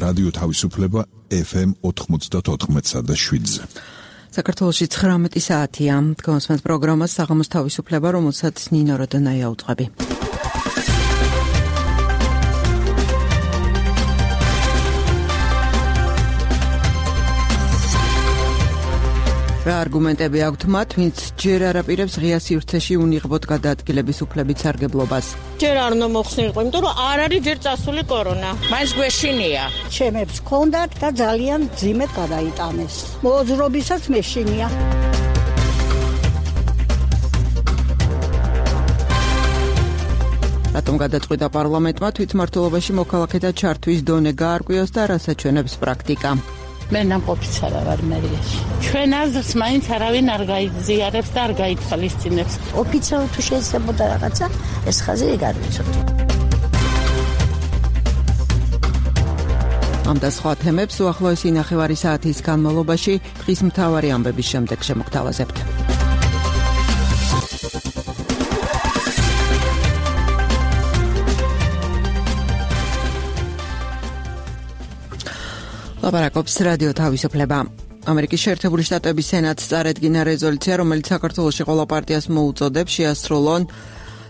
რადიო თავისუფლება FM 94.7-ზე. საქართველოში 19 საათია. Დგომასმენთ პროგრამას საღამოს თავისუფლება, რომელსაც ნინო როდონაია უძღვები. რა არგუმენტები აქვთ მათ, ვინც ჯერ არ აპირებს ღია სივრცეში უნიღბოდ გადაადგილების უფლებით სარგებლობას? ჯერ არ უნდა მოხსნილიყო, იმიტომ რომ არ არის ჯერ წასული კორონა. მაინც გვეშინია. ჩემებს ჰქონდათ და ძალიან ძიმედ გადაიტანეს. მოძრობისაც მეშინია. რატომ გადაწყვიტა პარლამენტმა თვითმმართველობაში მოქალაქეთა ჩართვის დონე გაარკვიოს და რა საჩვენებს პრაქტიკა? მე ნამყოფიც არა ვარ მერიაში. ჩვენ აზრს მაინც არავინ არ გაიზიარებს და არ გაითვალისწინებს. ოფიციალურად თუ შეიძლებოდა რაღაცა, ეს ხაზი ეგ არ ვიცოდი. ამ და სხვა თემებს უახლოესი ნახევარი საათის განმავლობაში დღის მთავარი ამბების შემდეგ შემოგთავაზებთ. ლაპარაკობს რადიო თავისუფლება. ამერიკის შეერთებული შტატების სენატს წარედგინა რეზოლუცია, რომელიც საქართველოში ყველა პარტიას მოუწოდებს შეასრულონ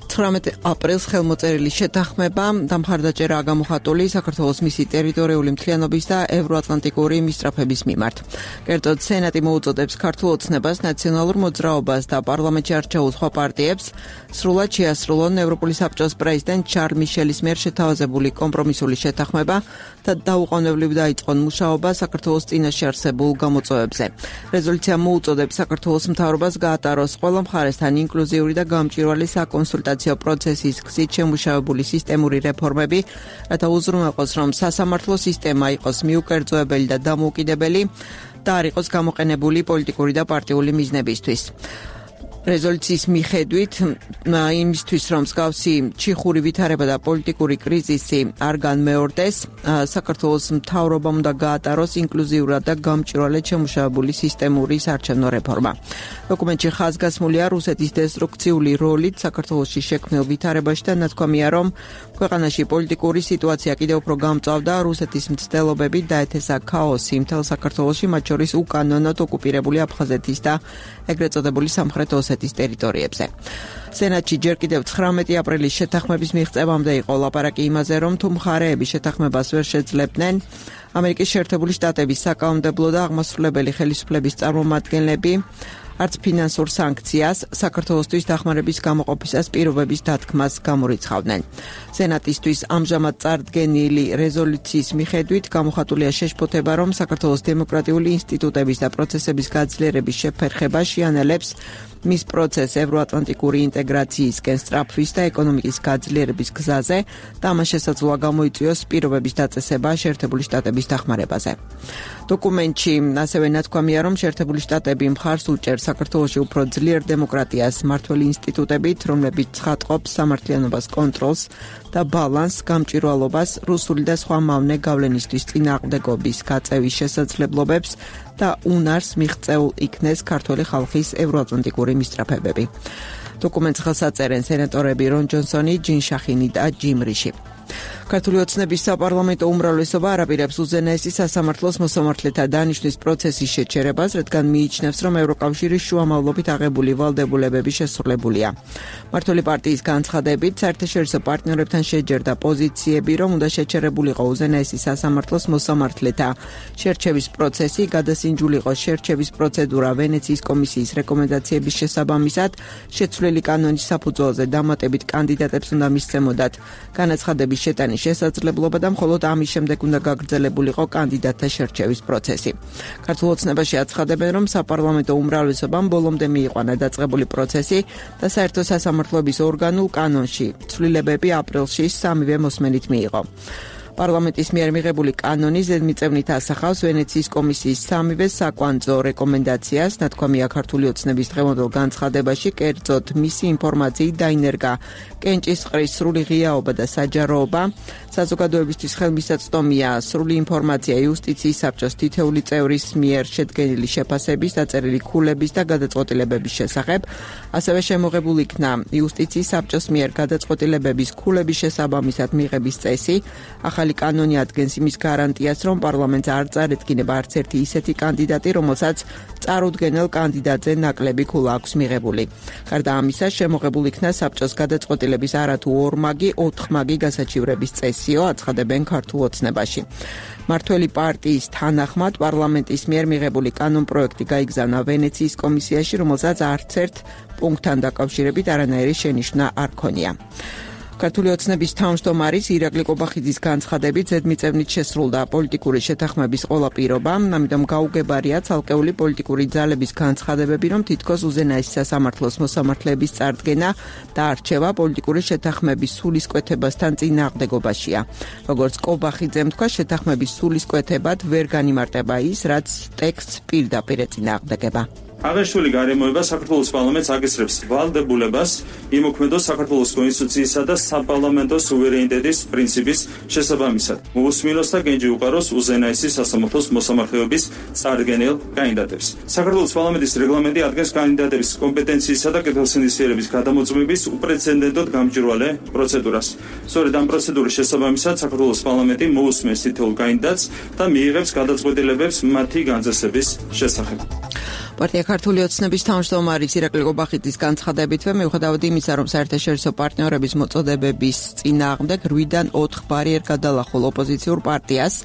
19 აპრილს ხელმოწერილი შეთანხმება და მხარდაჭერაა გამოხატული საქართველოს მისი ტერიტორიული მთლიანობის და ევროატლანტიკური მისწრაფების მიმართ. კერძოდ, სენატი მოუწოდებს ქართულ ოცნებას, ნაციონალურ მოძრაობას და პარლამენტში არჩეულ სხვა პარტიებს სრულად შეასრულონ ევროპული საბჭოს პრეზიდენტ შარლ მიშელის მიერ შეთავაზებული კომპრომისული შეთანხმება და დაუყოვნებლივ დაიწყონ მუშაობა საქართველოს წინაშე არსებულ გამოწვევებზე. რეზოლუცია მოუწოდებს საქართველოს მთავრობას გაატაროს ყველა მხარესთან ინკლუზიური და გამჭვირვალე საკონსულტაციო პროცესის გზით შემუშავებული სისტემური რეფორმები, რათა უზრუნველყოს, რომ სასამართლო სისტემა იყოს მიუკერძოებელი და დამოუკიდებელი და არ იყოს გამოყენებული პოლიტიკური და პარტიული მიზნებისთვის. რეზოლუციის მიხედვით იმისთვის, რომ მსგავსი ჩიხური ვითარება და პოლიტიკური კრიზისი არ განმეორდეს, საქართველოს მთავრობამ უნდა გაატაროს ინკლუზიურად და გამჭვირვალედ შემუშავებული სისტემური საარჩევნო რეფორმა. დოკუმენტში ხაზგასმულია რუსეთის დესტრუქციული როლით საქართველოში შექმნილ ვითარებაში და ნათქვამია, რომ ქვეყანაში პოლიტიკური სიტუაცია კიდევ უფრო გამწვავდა, რუსეთის მცდელობები დაეთესა ქაოსი მთელ საქართველოში, მათ შორის უკანონოდ ოკუპირებული აფხაზეთის და ეგრეთ წოდებული სამხრეთ ოსეთის ტერიტორიებზე. სენატში ჯერ კიდევ 19 აპრილის შეთანხმების მიღწევამდე იყო ლაპარაკი იმაზე, რომ თუ მხარეები შეთანხმებას ვერ შეძლებდნენ, ამერიკის შეერთებული შტატების საკანონმდებლო და აღმასრულებელი ხელისუფლების წარმომადგენლები არც ფინანსურ სანქციას, საქართველოსთვის დახმარების გამოყოფისას პირობების დათქმას გამორიცხავდნენ. სენატისთვის ამჟამად წარდგენილი რეზოლუციის მიხედვით გამოხატულია შეშფოთება, რომ საქართველოს დემოკრატიული ინსტიტუტების და პროცესების გაძლიერების შეფერხება შეანელებს მის პროცესს ევროატლანტიკური ინტეგრაციისკენ სწრაფვის და ეკონომიკის გაძლიერების გზაზე და ამას შესაძლოა გამოიწვიოს პირობების დაწესება შეერთებული შტატების დახმარებაზე. დოკუმენტში ასევე ნათქვამია, რომ შეერთებული შტატები მხარს უჭერს საქართველოში უფრო ძლიერ დემოკრატიას მმართველი ინსტიტუტებით, რომლებიც ცხადყოფს სამართლიანობას, კონტროლს და ბალანსს, გამჭვირვალობას, რუსული და სხვა მავნე გავლენისთვის წინააღმდეგობის გაწევის შესაძლებლობებს და უნარს მიღწეულ იქნეს ქართველი ხალხის ევროატლანტიკური მისწრაფებები. დოკუმენტს ხელს აწერენ სენატორები რონ ჯონსონი, ჯინ შახინი და ჯიმ რიში. ქართული ოცნების საპარლამენტო უმრავლესობა არ აპირებს უზენაესი სასამართლოს მოსამართლეთა დანიშვნის პროცესის შეჩერებას, რადგან მიიჩნევს, რომ ევროკავშირის შუამავლობით აღებული ვალდებულებები შესრულებულია. მმართველი პარტიის განცხადებით, საერთაშორისო პარტნიორებთან შეჯერდა პოზიციები, რომ უნდა შეჩერებულიყო უზენაესი სასამართლოს მოსამართლეთა შერჩევის პროცესი, გადასინჯულიყო შერჩევის პროცედურა ვენეციის კომისიის რეკომენდაციების შესაბამისად, შეცვლილი კანონის საფუძველზე დამატებით კანდიდატებს უნდა მისცემოდათ განაცხადების შეტანის შესაძლებლობა და მხოლოდ ამის შემდეგ უნდა გაგრძელებულიყო კანდიდატთა შერჩევის პროცესი. ქართულ ოცნებაში აცხადებენ, რომ საპარლამენტო უმრავლესობამ ბოლომდე მიიყვანა დაწყებული პროცესი და საერთო სასამართლოების ორგანულ კანონში ცვლილებები აპრილში სამივე მოსმენით მიიღო. პარლამენტის მიერ მიღებული კანონი ზედმიწევნით ასახავს ვენეციის კომისიის სამივე საკვანძო რეკომენდაციას, ნათქვამია ქართული ოცნების დღევანდელ განცხადებაში, კერძოდ მისი ინფორმაციით დაინერგა კენჭისყრის სრული ღიაობა და საჯაროობა, საზოგადოებისთვის ხელმისაწვდომია სრული ინფორმაცია იუსტიციის საბჭოს თითეული წევრის მიერ შედგენილი შეფასების, დაწერილი ქულების და გადაწყვეტილებების შესახებ, ასევე შემოღებულ იქნა იუსტიციის საბჭოს მიერ გადაწყვეტილებების ქულების შესაბამისად მიღების წესი, ახალი ახალი კანონი ადგენს იმის გარანტიას, რომ პარლამენტს არ წარედგინება არც ერთი ისეთი კანდიდატი, რომელსაც წარუდგენელ კანდიდატზე ნაკლები ქულა აქვს მიღებული. გარდა ამისა, შემოღებულ იქნა საბჭოს გადაწყვეტილების არათუ ორმაგი, 4 მაგი გასაჩივრების წესიო, აცხადებენ ქართულ ოცნებაში. მართველი პარტიის თანახმად პარლამენტის მიერ მიღებული კანონპროექტი გაიგზავნა ვენეციის კომისიაში, რომელსაც არც ერთ პუნქტთან დაკავშირებით არანაირი შენიშვნა არ ქონია. ქართული ოცნების თავმჯდომარის ირაკლი კობახიძის განცხადებით ზედმიწევნით შესრულდა პოლიტიკური შეთანხმების ყველა პირობა, ამიტომ გაუგებარია ცალკეული პოლიტიკური ძალების განცხადებები, რომ თითქოს უზენაესი სასამართლოს მოსამართლეების წარდგენა და არჩევა პოლიტიკური შეთანხმების სულისკვეთებასთან წინააღმდეგობაშია. როგორც კობახიძემ თქვა, შეთანხმების სულისკვეთებად ვერ განიმარტება ის, რაც ტექსტს პირდაპირ ეწინააღმდეგება. აღნიშნული გარემოება საქართველოს პარლამენტს აგესრებს ვალდებულებას იმოქმედოს საქართველოს კონსტიტუციისა და საპარლამენტო სუვერენიტეტის პრინციპის შესაბამისად. მოусმინოს და გენჯი უყაროს უზენაესი სასამართლოს მოსამართლეობის წარდგენელ კანდიდატებს. საქართველოს პარლამენტის რეგლამენტი ადგენს კანდიდატების კომპეტენციისა და კეთილსინდისიერების გადამოწმების უპრეცედენტოდ გამჭვირვალე პროცედურას. სწორედ ამ პროცედურის შესაბამისად საქართველოს პარლამენტი მოусმენს თითოეულ კანდიდატს და მიიღებს გადაწყვეტილებებს მათი განზრახების შესახებ. პარტია ქართული ოცნების თავმჯდომარის ირაკლი კობახიძის განცხადებითვე მიუხედავად იმისა, რომ საერთაშორისო პარტნიორების მოწოდებების წინააღმდეგ 8-დან 4 ბარიერ გადალახულ ოპოზიციურ პარტიას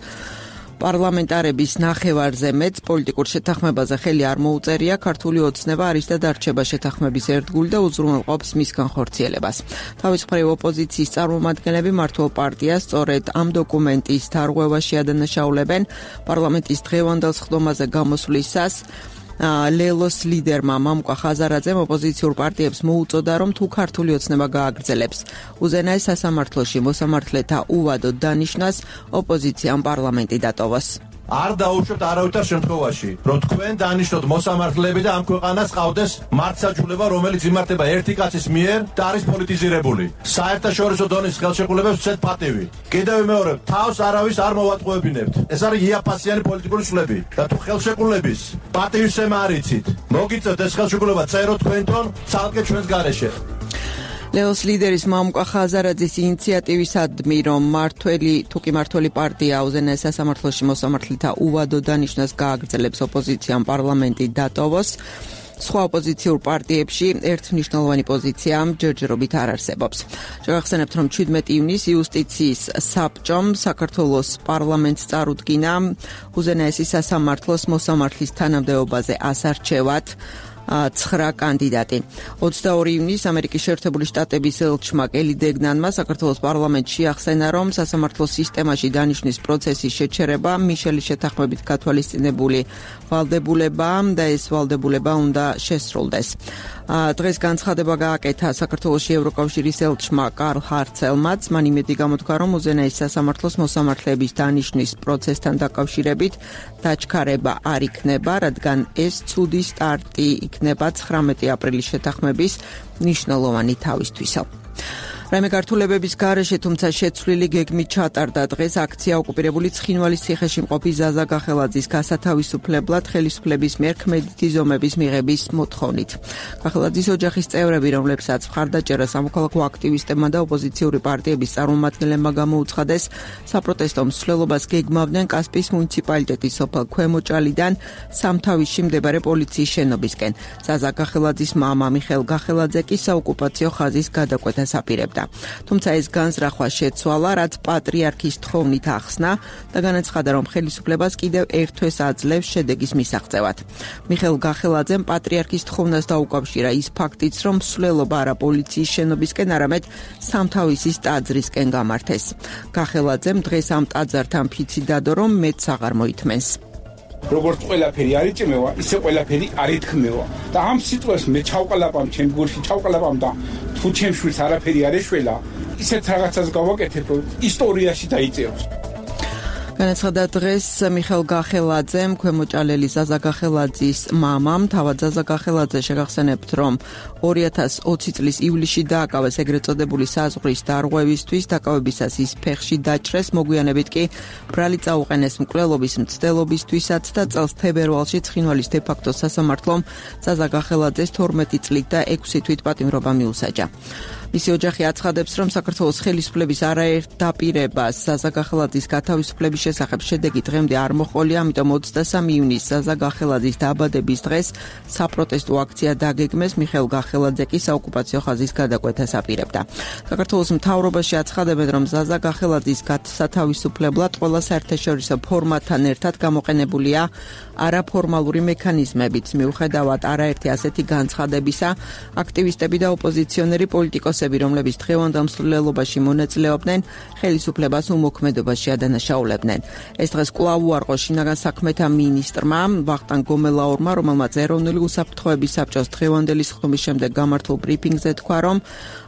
პარლამენტარების ნახევარზე მეტ პოლიტიკურ შეთანხმებაზე ხელი არ მოუწერია, ქართული ოცნება არის და დარჩება შეთანხმების ერთგული და უზრუნველყოფს მისგან ხორციელებას. თავის მხრივ ოპოზიციის წარმომადგენლები მართულ პარტიას სწორედ ამ დოკუმენტის დარღვევაში ადანაშაულებენ პარლამენტის დღევანდელ სხდომაზე გამოსვლისას. ლელოს ლიდერმა მამუკა ხაზარაძემ ოპოზიციურ პარტიებს მოუწოდა, რომ თუ ქართული ოცნება გააგრძელებს უზენაეს სასამართლოში მოსამართლეთა უვადოდ დანიშნას, ოპოზიციამ პარლამენტი დატოვოს. არ დაუშვებთ არავითარ შემთხვევაში, რომ თქვენ დანიშნოთ მოსამართლეები და ამ ქვეყანას ყავდეს მართლმსაჯულება, რომელიც იმართება ერთი კაცის მიერ და არის პოლიტიზირებული. საერთაშორისო დონის ხელშეკრულებებს ვცეთ პატივი. კიდევ ვიმეორებ, თავს არავის არ მოვატყუებინებთ. ეს არის იაფასიანი პოლიტიკური ცვლები და თუ ხელშეკრულების პატივისცემა არ იცით, მოგიწევთ ეს ხელშეკრულება წეროთ თქვენთან ცალკე ჩვენს გარეშე. ლეოს ლიდერის მამუკა ხაზარაძის ინიციატივისადმი, რომ მართველი პარტია უზენაეს სასამართლოში მოსამართლეთა უვადო დანიშნას გააგრძელებს, ოპოზიციამ პარლამენტი დატოვოს. სხვა ოპოზიციურ პარტიებში ერთმნიშვნელოვანი პოზიცია ჯერჯერობით არ არსებობს. შევახსენებთ, რომ 17 ივნისს იუსტიციის საბჭომ საქართველოს პარლამენტს წარუდგინა უზენაესი სასამართლოს მოსამართლის თანამდებობაზე ასარჩევად 9 კანდიდატი. 22 ივნისს ამერიკის შეერთებული შტატების ელჩმა კელი დეგნანმა საქართველოს პარლამენტში ახსენა, რომ სასამართლო სისტემაში დანიშნვის პროცესის შეჩერება მიშელის შეთანხმებით გათვალისწინებული ვალდებულება და ეს ვალდებულება უნდა შესრულდეს. დღეს განცხადება გააკეთა საქართველოში ევროკავშირის ელჩმა კარლ ჰარცელმაც. მან იმედი გამოთქვა, რომ უზენაეს სასამართლოს მოსამართლეების დანიშნვის პროცესთან დაკავშირებით დაჩქარება არ იქნება, რადგან ეს ცუდი სტარტი იქნება 19 აპრილის შეთანხმების მნიშვნელოვანი თავისთვისო. რაიმე გართულებების გარეშე, თუმცა შეცვლილი გეგმით ჩატარდა დღეს აქცია ოკუპირებული ცხინვალის ციხეში მყოფი ზაზა გახელაძის გასათავისუფლებლად ხელისუფლების მიერ ქმედითი ზომების მიღების მოთხოვნით. გახელაძის ოჯახის წევრები, რომლებსაც მხარდაჭერა სამოქალაქო აქტივისტებმა და ოპოზიციური პარტიების წარმომადგენლებმა გამოუცხადეს, საპროტესტო მსვლელობას გეგმავდნენ კასპიის მუნიციპალიტეტის სოფელ ქვემოჭალიდან სამთავისში მდებარე პოლიციის შენობისკენ. ზაზა გახელაძის მამა მიხეილ გახელაძე კი საოკუპაციო ხაზის გადაკვეთას აპირებდა. თუმცა ეს განზრახვა შეცვალა, რაც პატრიარქის თხოვნით ახსნა და განაცხადა, რომ ხელისუფლებას კიდევ ერთ თვეს აძლევს შედეგის მისაღწევად. მიხეილ გახელაძემ პატრიარქის თხოვნას დაუკავშირა ის ფაქტიც, რომ მსვლელობა არა პოლიციის შენობისკენ, არამედ სამთავისის ტაძრისკენ გამართეს. გახელაძემ დღეს ამ ტაძართან ფიცი დადო, რომ მეც აღარ მოითმენს. როგორც ყველაფერი არ იწმევა, ისე ყველაფერი არ ითქმევა. და ამ სიტყვას მე ჩავყალაპამ ჩემ გულში, ჩავყალაპამ და თუ ჩემ შვილს არაფერი არ ეშველა, ისეთ რაღაცას გავაკეთებ, რომ ისტორიაში დაიწეროს. განაცხადა დღეს მიხელ გახელაძემ, ქვემოჭალელი ზაზა გახელაძის მამამ. თავად ზაზა გახელაძე შეგახსენებთ, რომ 2020 წლის ივლისში დააკავეს ეგრეთ წოდებული საზღვრის დარღვევისთვის, დაკავებისას ის ფეხში დაჭრეს, მოგვიანებით კი ბრალი წაუყენეს მკვლელობის მცდელობისთვისაც და წელს თებერვალში ცხინვალის დე-ფაქტო სასამართლომ ზაზა გახელაძეს 12 წლით და 6 თვით პატიმრობა მიუსაჯა. მისი ოჯახი აცხადებს, რომ საქართველოს ხელისუფლების არაერთ დაპირებას ზაზა გახელაძის გათავისუფლების შესახებ შედეგი დღემდე არ მოჰყოლია, ამიტომ 23 ივნისს ზაზა გახელაძის დაბადების დღეს საპროტესტო აქცია დაგეგმეს, მიხეილ გახელაძე კი საოკუპაციო ხაზის გადაკვეთას აპირებდა. საქართველოს მთავრობაში აცხადებენ, რომ ზაზა გახელაძის სათავისუფლებლად ყველა საერთაშორისო ფორმატთან ერთად გამოყენებულია არაფორმალური მექანიზმებიც. მიუხედავად არაერთი ასეთი განცხადებისა, აქტივისტები და ოპოზიციონერი პოლიტიკოსები, რომლებიც დღევანდელ მსვლელობაში მონაწილეობდნენ, ხელისუფლებას უმოქმედობაში ადანაშაულებდნენ. ეს დღეს კვლავ უარყო შინაგან საქმეთა მინისტრმა ვახტანგ გომელაურმა, რომელმაც ეროვნული უსაფრთხოების საბჭოს დღევანდელი სხდომის შემდეგ გამართულ ბრიფინგზე თქვა, რომ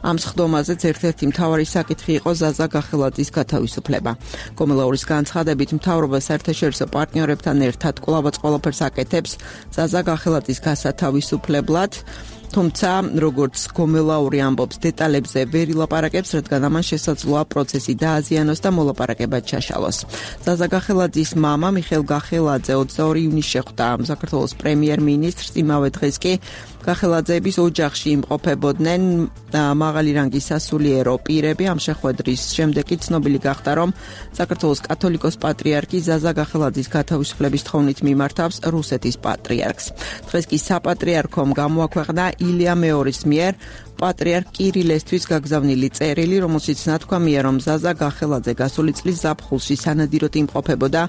ამ სხდომაზეც ერთ-ერთი მთავარი საკითხი იყო ზაზა გახელაძის გათავისუფლება. გომელაურის განცხადებით, მთავრობა საერთაშორისო პარტნიორებთან ერთად კვლავაც ყველაფერს აკეთებს ზაზა გახელაძის გასათავისუფლებლად. თუმცა, როგორც გომელაური ამბობს, დეტალებზე ვერ ილაპარაკებს, რადგან ამან შესაძლოა პროცესი დააზიანოს და მოლაპარაკება ჩაშალოს. ზაზა გახელაძის მამა მიხეილ გახელაძე 22 ივნისს შეხვდა საქართველოს პრემიერ-მინისტრს, იმავე დღეს კი გახელაძეების ოჯახში იმყოფებოდნენ მაღალი რანგის სასულიერო პირები. ამ შეხვედრის შემდეგ კი ცნობილი გახდა, რომ საქართველოს კათოლიკოს პატრიარქი ზაზა გახელაძის გათავისუფლების თხოვნით მიმართავს რუსეთის პატრიარქს. დღეს კი საპატრიარქომ გამოაქვეყნა ილია მეორის მიერ პატრიარქ კირილესთვის გაგზავნილი წერილი, რომელშიც ნათქვამია, რომ ზაზა გახელაძე გასული წლის ზაფხულში სანადიროდ იმყოფებოდა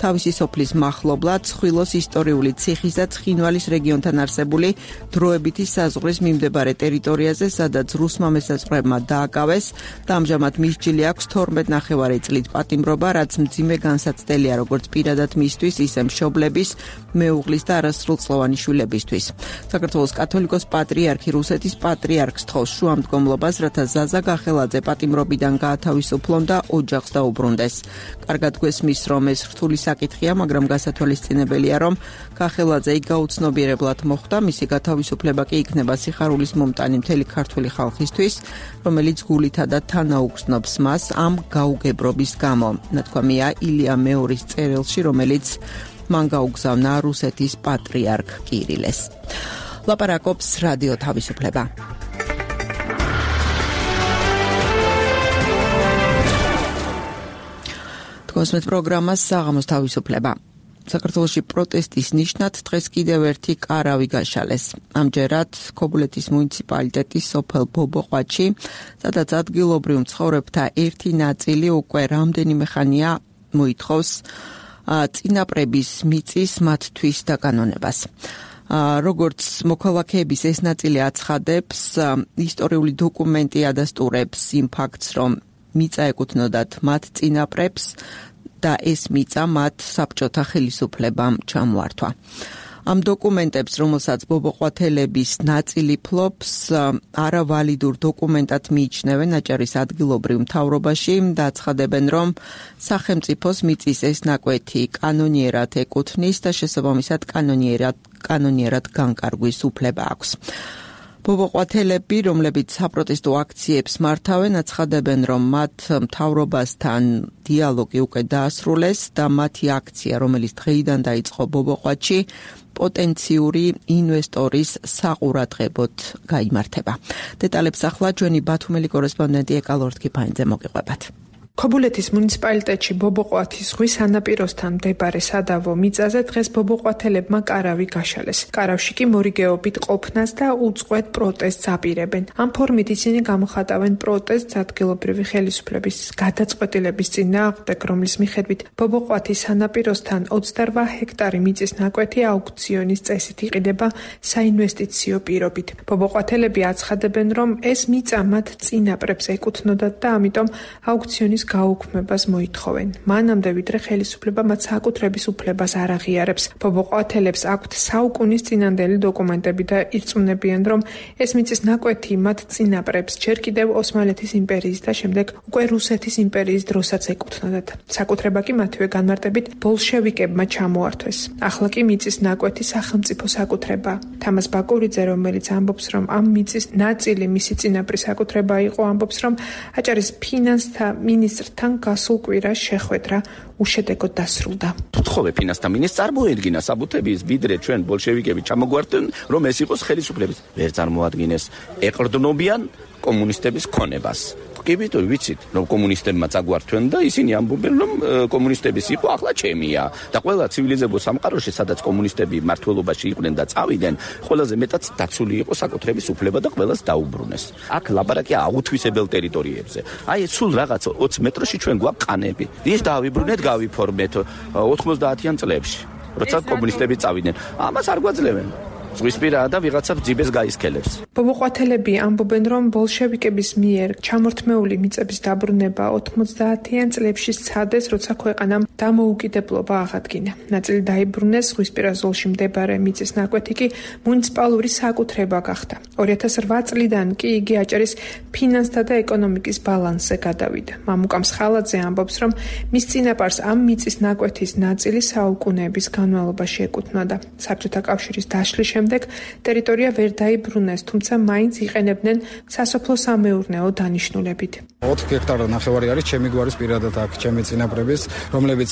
თავისი სოფლის მახლობლად, ცხვილოს ისტორიული ციხის და ცხინვალის რეგიონთან არსებული დროებითი საზღვრის მიმდებარე ტერიტორიაზე, სადაც რუსმა მესაზღვრეებმა დააკავეს და ამჟამად მისჯილი აქვს 12.5 წლით პატიმრობა, რაც მძიმე განსაცდელია როგორც პირადად მისთვის, ისე მშობლების, მეუღლის და არასრულწლოვანი შვილებისთვის. საქართველოს კათოლიკოს პატრიარქი რუსეთის პატრიარქს თხოვს შუამდგომლობას, რათა ზაზა გახელაძე პატიმრობიდან გაათავისუფლონ და ოჯახს დაუბრუნდეს. კარგად გვესმის, რომ ეს რთული საკითხია, მაგრამ გასათვალისწინებელია, რომ გახელაძე გაუცნობიერებლად მოხვდა, მისი გათავისუფლება კი იქნება სიხარულის მომტანი მთელი ქართული ხალხისთვის, რომელიც გულითა და თანაუგრძნობს მას ამ გაუგებრობის გამო. ნათქვამია ილია მეორის წერილში, რომელიც მან გაუგზავნა რუსეთის პატრიარქ კირილეს. ლაპარაკობს რადიო თავისუფლება. კონსმეთ პროგრამას საღამოს თავისუფლება. საქართველოში პროტესტის ნიშნად დღეს კიდევ ერთი კარავი გაშალეს. ამჯერად ქობულეთის მუნიციპალიტეტის სოფელ ბობოყვათში, სადაც ადგილობრივ მცხოვრებთა ერთი ნაწილი უკვე რამდენიმე ხანია მოითხოვს წინაპრების მიწის მათთვის დაკანონებას. როგორც მოქალაქეების ეს ნაწილი აცხადებს, ისტორიული დოკუმენტი ადასტურებს იმ ფაქტს, რომ მიწა ეკუთვნოდათ მათ წინაპრებს და ეს მიწა მათ საბჭოთა ხელისუფლებამ ჩამოართვა. ამ დოკუმენტებს, რომელსაც ბობოყვათელების ნაწილი ფლობს, არავალიდურ დოკუმენტად მიიჩნევენ აჭარის ადგილობრივ მთავრობაში და აცხადებენ, რომ სახელმწიფოს მიწის ეს ნაკვეთი კანონიერად ეკუთვნის და შესაბამისად კანონიერად განკარგვის უფლება აქვს. ბობოყვათელები, რომლებიც საპროტესტო აქციებს მართავენ, აცხადებენ, რომ მათ მთავრობასთან დიალოგი უკვე დაასრულეს და მათი აქცია, რომელიც დღეიდან დაიწყო ბობოყვათში, პოტენციური ინვესტორის საყურადღებოდ გაიმართება. დეტალებს ახლა ჩვენი ბათუმელი კორესპონდენტი ეკალორთქიფაინძე მოგიყვებათ. ქობულეთის მუნიციპალიტეტში ბობოყვათის ზღვის სანაპიროსთან მდებარე სადავო მიწაზე დღეს ბობოყვათელებმა კარავი გაშალეს. კარავში კი მორიგეობით ყოფნას და უწყვეტ პროტესტს აპირებენ. ამ ფორმით ისინი გამოხატავენ პროტესტს ადგილობრივი ხელისუფლების გადაწყვეტილების წინააღმდეგ, რომლის მიხედვით ბობოყვათის სანაპიროსთან 28 ჰექტარი მიწის ნაკვეთი აუქციონის წესით იყიდება საინვესტიციო პირობით. ბობოყვათელები აცხადებენ, რომ ეს მიწა მათ წინაპრებს ეკუთვნოდათ და ამიტომ აუქციონის ელექტრონის გაუქმებას მოითხოვენ. მანამდე ვიდრე ხელისუფლება მათ საკუთრების უფლებას არ აღიარებს. ბობოყვათელებს აქვთ საუკუნის წინანდელი დოკუმენტები და ირწმუნებიან, რომ ეს მიწის ნაკვეთი მათ წინაპრებს ჯერ კიდევ ოსმალეთის იმპერიის და შემდეგ უკვე რუსეთის იმპერიის დროსაც ეკუთვნოდათ. საკუთრება კი მათივე განმარტებით ბოლშევიკებმა ჩამოართვეს. ახლა კი მიწის ნაკვეთი სახელმწიფო საკუთრებაა. თამაზ ბაკურიძე, რომელიც ამბობს, რომ ამ მიწის ნაწილი მისი წინაპრის საკუთრება იყო, ამბობს, რომ აჭარის ფინანსთა მინისტრთან გასულ კვირას შეხვედრა უშედეგოდ დასრულდა. თხოვე ფინანსთა მინისტრს წარმოედგინა საბუთების ვიდრე ჩვენ ბოლშევიკები ჩამოგვარდნენ, რომ ეს იყოს ხელისუფლების. ვერ წარმოადგენეს ეყრდნობიან კომუნისტების ქონებას. კი ვიტყვი ვიცით, რომ კომუნისტებმა წაგვართვენ და ისინი ამბობენ, რომ კომუნისტების იყო ახლა ჩემია და ყველა ცივილიზებულ სამყაროში, სადაც კომუნისტები მმართველობაში იყვნენ და წავიდნენ, ყველაზე მეტად დაცული იყო საკუთრების უფლება და ყველას დაუბრუნეს. აქ ლაპარაკია აუთვისებელ ტერიტორიებზე. აი ეს სულ რაღაც 20 მეტრში ჩვენ გვაქვს ყანები. ის დავიბრუნეთ, გავიფორმეთ 90-იან წლებში, როცა კომუნისტები წავიდნენ. ამას არ გვაძლევენ. ზღვისპირაა და ვიღაცა ძიბეს გაისქელებს. ბობოყვათელები ამბობენ, რომ ბოლშევიკების მიერ ჩამორთმეული მიწების დაბრუნება 90-იან წლებში სცადეს, როცა ქვეყანამ დამოუკიდებლობა აღადგინა. ნაწილი დაიბრუნეს, ზღვისპირა ზოლში მდებარე მიწის ნაკვეთი კი მუნიციპალური საკუთრება გახდა. 2008 წლიდან კი იგი აჭარის ფინანსთა და ეკონომიკის ბალანსზე გადავიდა. მამუკამ სხალაძე ამბობს, რომ მის წინაპარს ამ მიწის ნაკვეთის ნაწილი საუკუნეების განმავლობაში ეკუთვნოდა. საბჭოთა კავშირის დაშლის შემდეგ ტერიტორია ვერ დაიბრუნეს, თუმცა მაინც იყენებდნენ სასოფლო-სამეურნეო დანიშნულებით. 4 ჰექტარი ნახევარი არის ჩემი გვარის პირადად აქ ჩემი წინაპრების, რომლებიც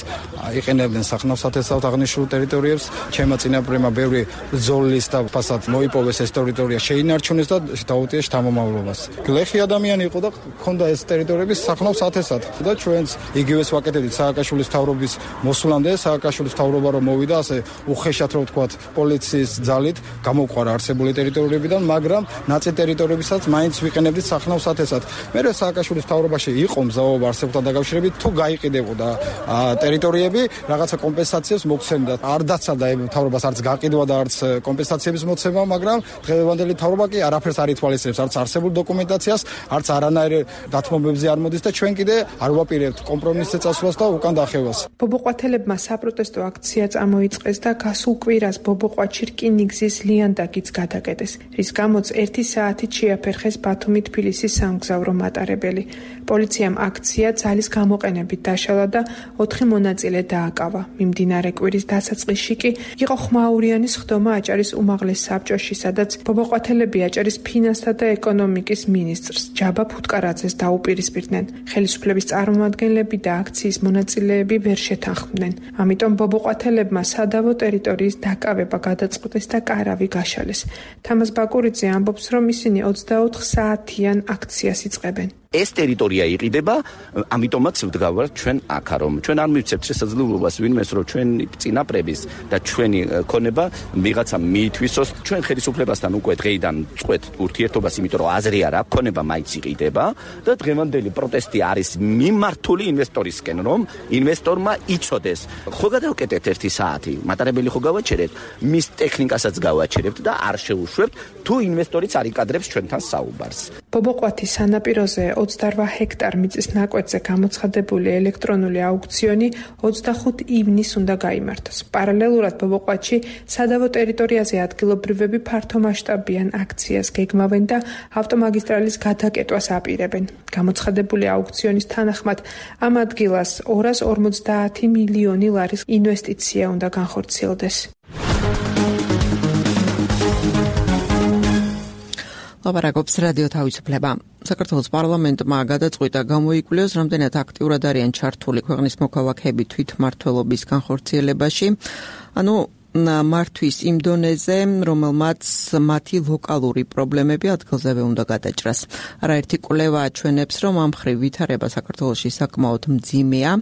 იყენებდნენ სახნავ-სათესავთ აღნიშნულ ტერიტორიებს. ჩემმა წინაპრებმა ბევრი ზოლის და ფასად მოიპოვეს ეს ტერიტორია, შეინარჩუნეს და დაუტიეს შთამომავლობას. გლეხი ადამიანი იყო და ჰქონდა ეს ტერიტორიები სახნავ-სათესად და ჩვენც იგივეს ვაკეთებდით სააკაშვილის მთავრობის მოსვლამდე. სააკაშვილის მთავრობა რომ მოვიდა, ასე უხეშად რომ ვთქვათ, პოლიციის ძალით გამოყვარა არსებული ტერიტორიებიდან, მაგრამ ნაწილ ტერიტორიებისაც მაინც ვიყენებდით სახნავ-სათესად. მერე სააკაშვილის მთავრობაში იყო მზაობა არსებთან დაკავშირებით, თუ გაიყიდებოდა ტერიტორიები, რაღაცა კომპენსაციებს მოგცემდა. არ დაცალდა მთავრობას არც გაყიდვა და არც კომპენსაციების მოცემა, მაგრამ დღევანდელი მთავრობა კი არაფერს არ ითვალისწინებს, არც არსებულ დოკუმენტაციას, არც არანაირ დათმობებზე არ მოდის და ჩვენ კიდე არ ვაპირებთ კომპრომისზე წასვლას და უკან დახევას. ბობოყვათელებმა საპროტესტო აქცია წამოიწყეს და გასულ კვირას ბობოყვათში რკინიგზის ლიანდაგიც გადაკეტეს, რის გამოც 1 საათით შეაფერხეს ბათუმი-თბილისის სამგზავრო მატარებელი. პოლიციამ აქცია ძალის გამოყენებით დაშალა და 4 მონაწილე დააკავა. მიმდინარე კვირის დასაწყისში კი იყო ხმაურიანის ხდომა აჭარის უმაღლეს საბჭოში, სადაც ბობოყვათელები აჭარის ფინანსთა და ეკონომიკის მინისტრს ჯაბა ფუტკარაძეს დაუპირისპირდნენ. ხელისუფლების წარმომადგენლები და აქციის მონაწილეები ვერ შეთანხმდნენ. ამიტომ ბობოყვათელებმა სადავო ტერიტორიის დაკავება გადაწყვეტეს და კარავი გაშალეს. თამაზ ბაკურიძე ამბობს, რომ ისინი 24 საათიან აქციას იწყებენ. ეს ტერიტორია იყიდება, ამიტომაც ვდგავართ ჩვენ აქა, რომ ჩვენ არ მივცემთ შესაძლებლობას ვინმეს, რომ ჩვენი წინაპრების და ჩვენი ქონება ვიღაცა მიითვისოს. ჩვენ ხელისუფლებასთან უკვე დღეიდან წყვეთ ურთიერთობას, იმიტომ რომ აზრი არ აქვს, ქონება მაინც იყიდება და დღევანდელი პროტესტი არის მიმართული ინვესტორისკენ, რომ ინვესტორმა იცოდეს. ხო გადავკეტეთ 1 საათი, მატარებელი ხო გავაჩერებთ, მის ტექნიკასაც გავაჩერებთ და არ შევუშვებთ, თუ ინვესტორიც არ იკადრებს ჩვენთან საუბარს. ბობოყვათის სანაპიროზე 28 ჰექტარ მიწის ნაკვეთზე გამოცხადებული ელექტრონული აუქციონი 25 ივნისს უნდა გაიმართოს. პარალელურად ბობოყვათში სადავო ტერიტორიაზე ადგილობრივები ფართომასშტაბიან აქციას გეგმავენ და ავტომაგისტრალის გადაკეტვას აპირებენ. გამოცხადებული აუქციონის თანახმად ამ ადგილას 250 მილიონი ლარის ინვესტიცია უნდა განხორციელდეს. ლაპარაკობს რადიო თავისუფლება. საქართველოს პარლამენტმა გადაწყვიტა გამოიკვლიოს, რამდენად აქტიურად არიან ჩართული ქვეყნის მოქალაქეები თვითმმართველობის განხორციელებაში, მართვის იმ დონეზე, რომელმაც მათი ლოკალური პრობლემები ადგილზევე უნდა გადაჭრას. არაერთი კვლევა აჩვენებს, რომ ამ მხრივ ვითარება საქართველოში საკმაოდ მძიმეა.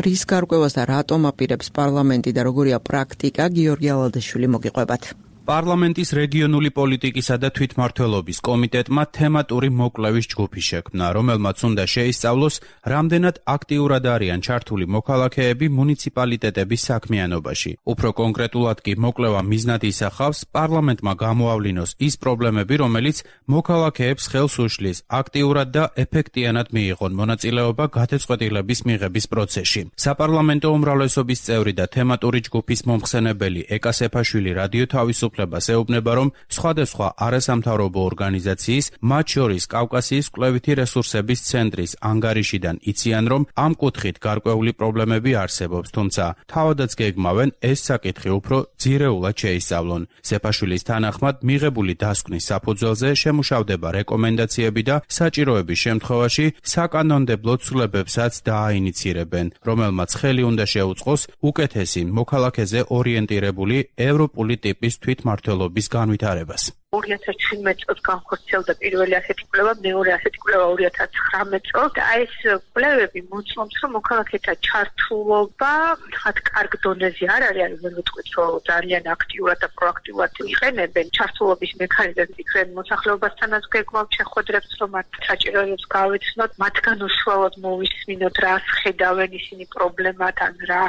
რის გარკვევას და რატომ აპირებს პარლამენტი და როგორია პრაქტიკა, გიორგი ალადაშვილი მოგიყვებათ. პარლამენტის რეგიონული პოლიტიკისა და თვითმმართველობის კომიტეტმა თემატური მოკვლევის ჯგუფი შექმნა, რომელმაც უნდა შეისწავლოს, რამდენად აქტიურად არიან ჩართული მოქალაქეები მუნიციპალიტეტების საქმიანობაში. უფრო კონკრეტულად კი მოკვლევა მიზნად ისახავს პარლამენტმა გამოავლინოს ის პრობლემები, რომელიც მოქალაქეებს ხელს უშლის აქტიურად და ეფექტიანად მიიღონ მონაწილეობა გადაწყვეტილების მიღების პროცესში. საპარლამენტო უმრავლესობის წევრი და თემატური ჯგუფის მომხსენებელი ეკა სეფაშვილი რადიო თავისუფლებას ეუბნება, რომ სხვადასხვა არასამთავრობო ორგანიზაციის, მათ შორის კავკასიის კვლევითი რესურსების ცენტრის ანგარიშიდან იციან, რომ ამ კუთხით გარკვეული პრობლემები არსებობს, თუმცა თავადაც გეგმავენ ეს საკითხი უფრო ძირეულად შეისწავლონ. სეფაშვილის თანახმად მიღებული დასკვნის საფუძველზე შემუშავდება რეკომენდაციები და საჭიროების შემთხვევაში საკანონმდებლო ცვლილებებსაც დააინიცირებენ, რომელმაც ხელი უნდა შეუწყოს უკეთესი მოქალაქეზე ორიენტირებული ევროპული ტიპის თვითმმართველობის განვითარებას. 2017 წელს განხორციელდა პირველი ასეთი კვლევა, მეორე ასეთი კვლევა 2019 წელს და ეს კვლევები მოწმობს, რომ მოქალაქეთა ჩართულობა ხათ კარგ დონეზე არ არის, ვერ ვიტყვით, რომ ძალიან აქტიურად და პროაქტიულად იყენებენ ჩართულობის მექანიზმებს, იქნებ მოსახლეობასთანაც გეგმავთ შეხვედრებს, რომ მათ საჭიროებებს გავეცნოთ, მათგან უშუალოდ მოვისმინოთ, რას ხედავენ ისინი პრობლემად, ან რა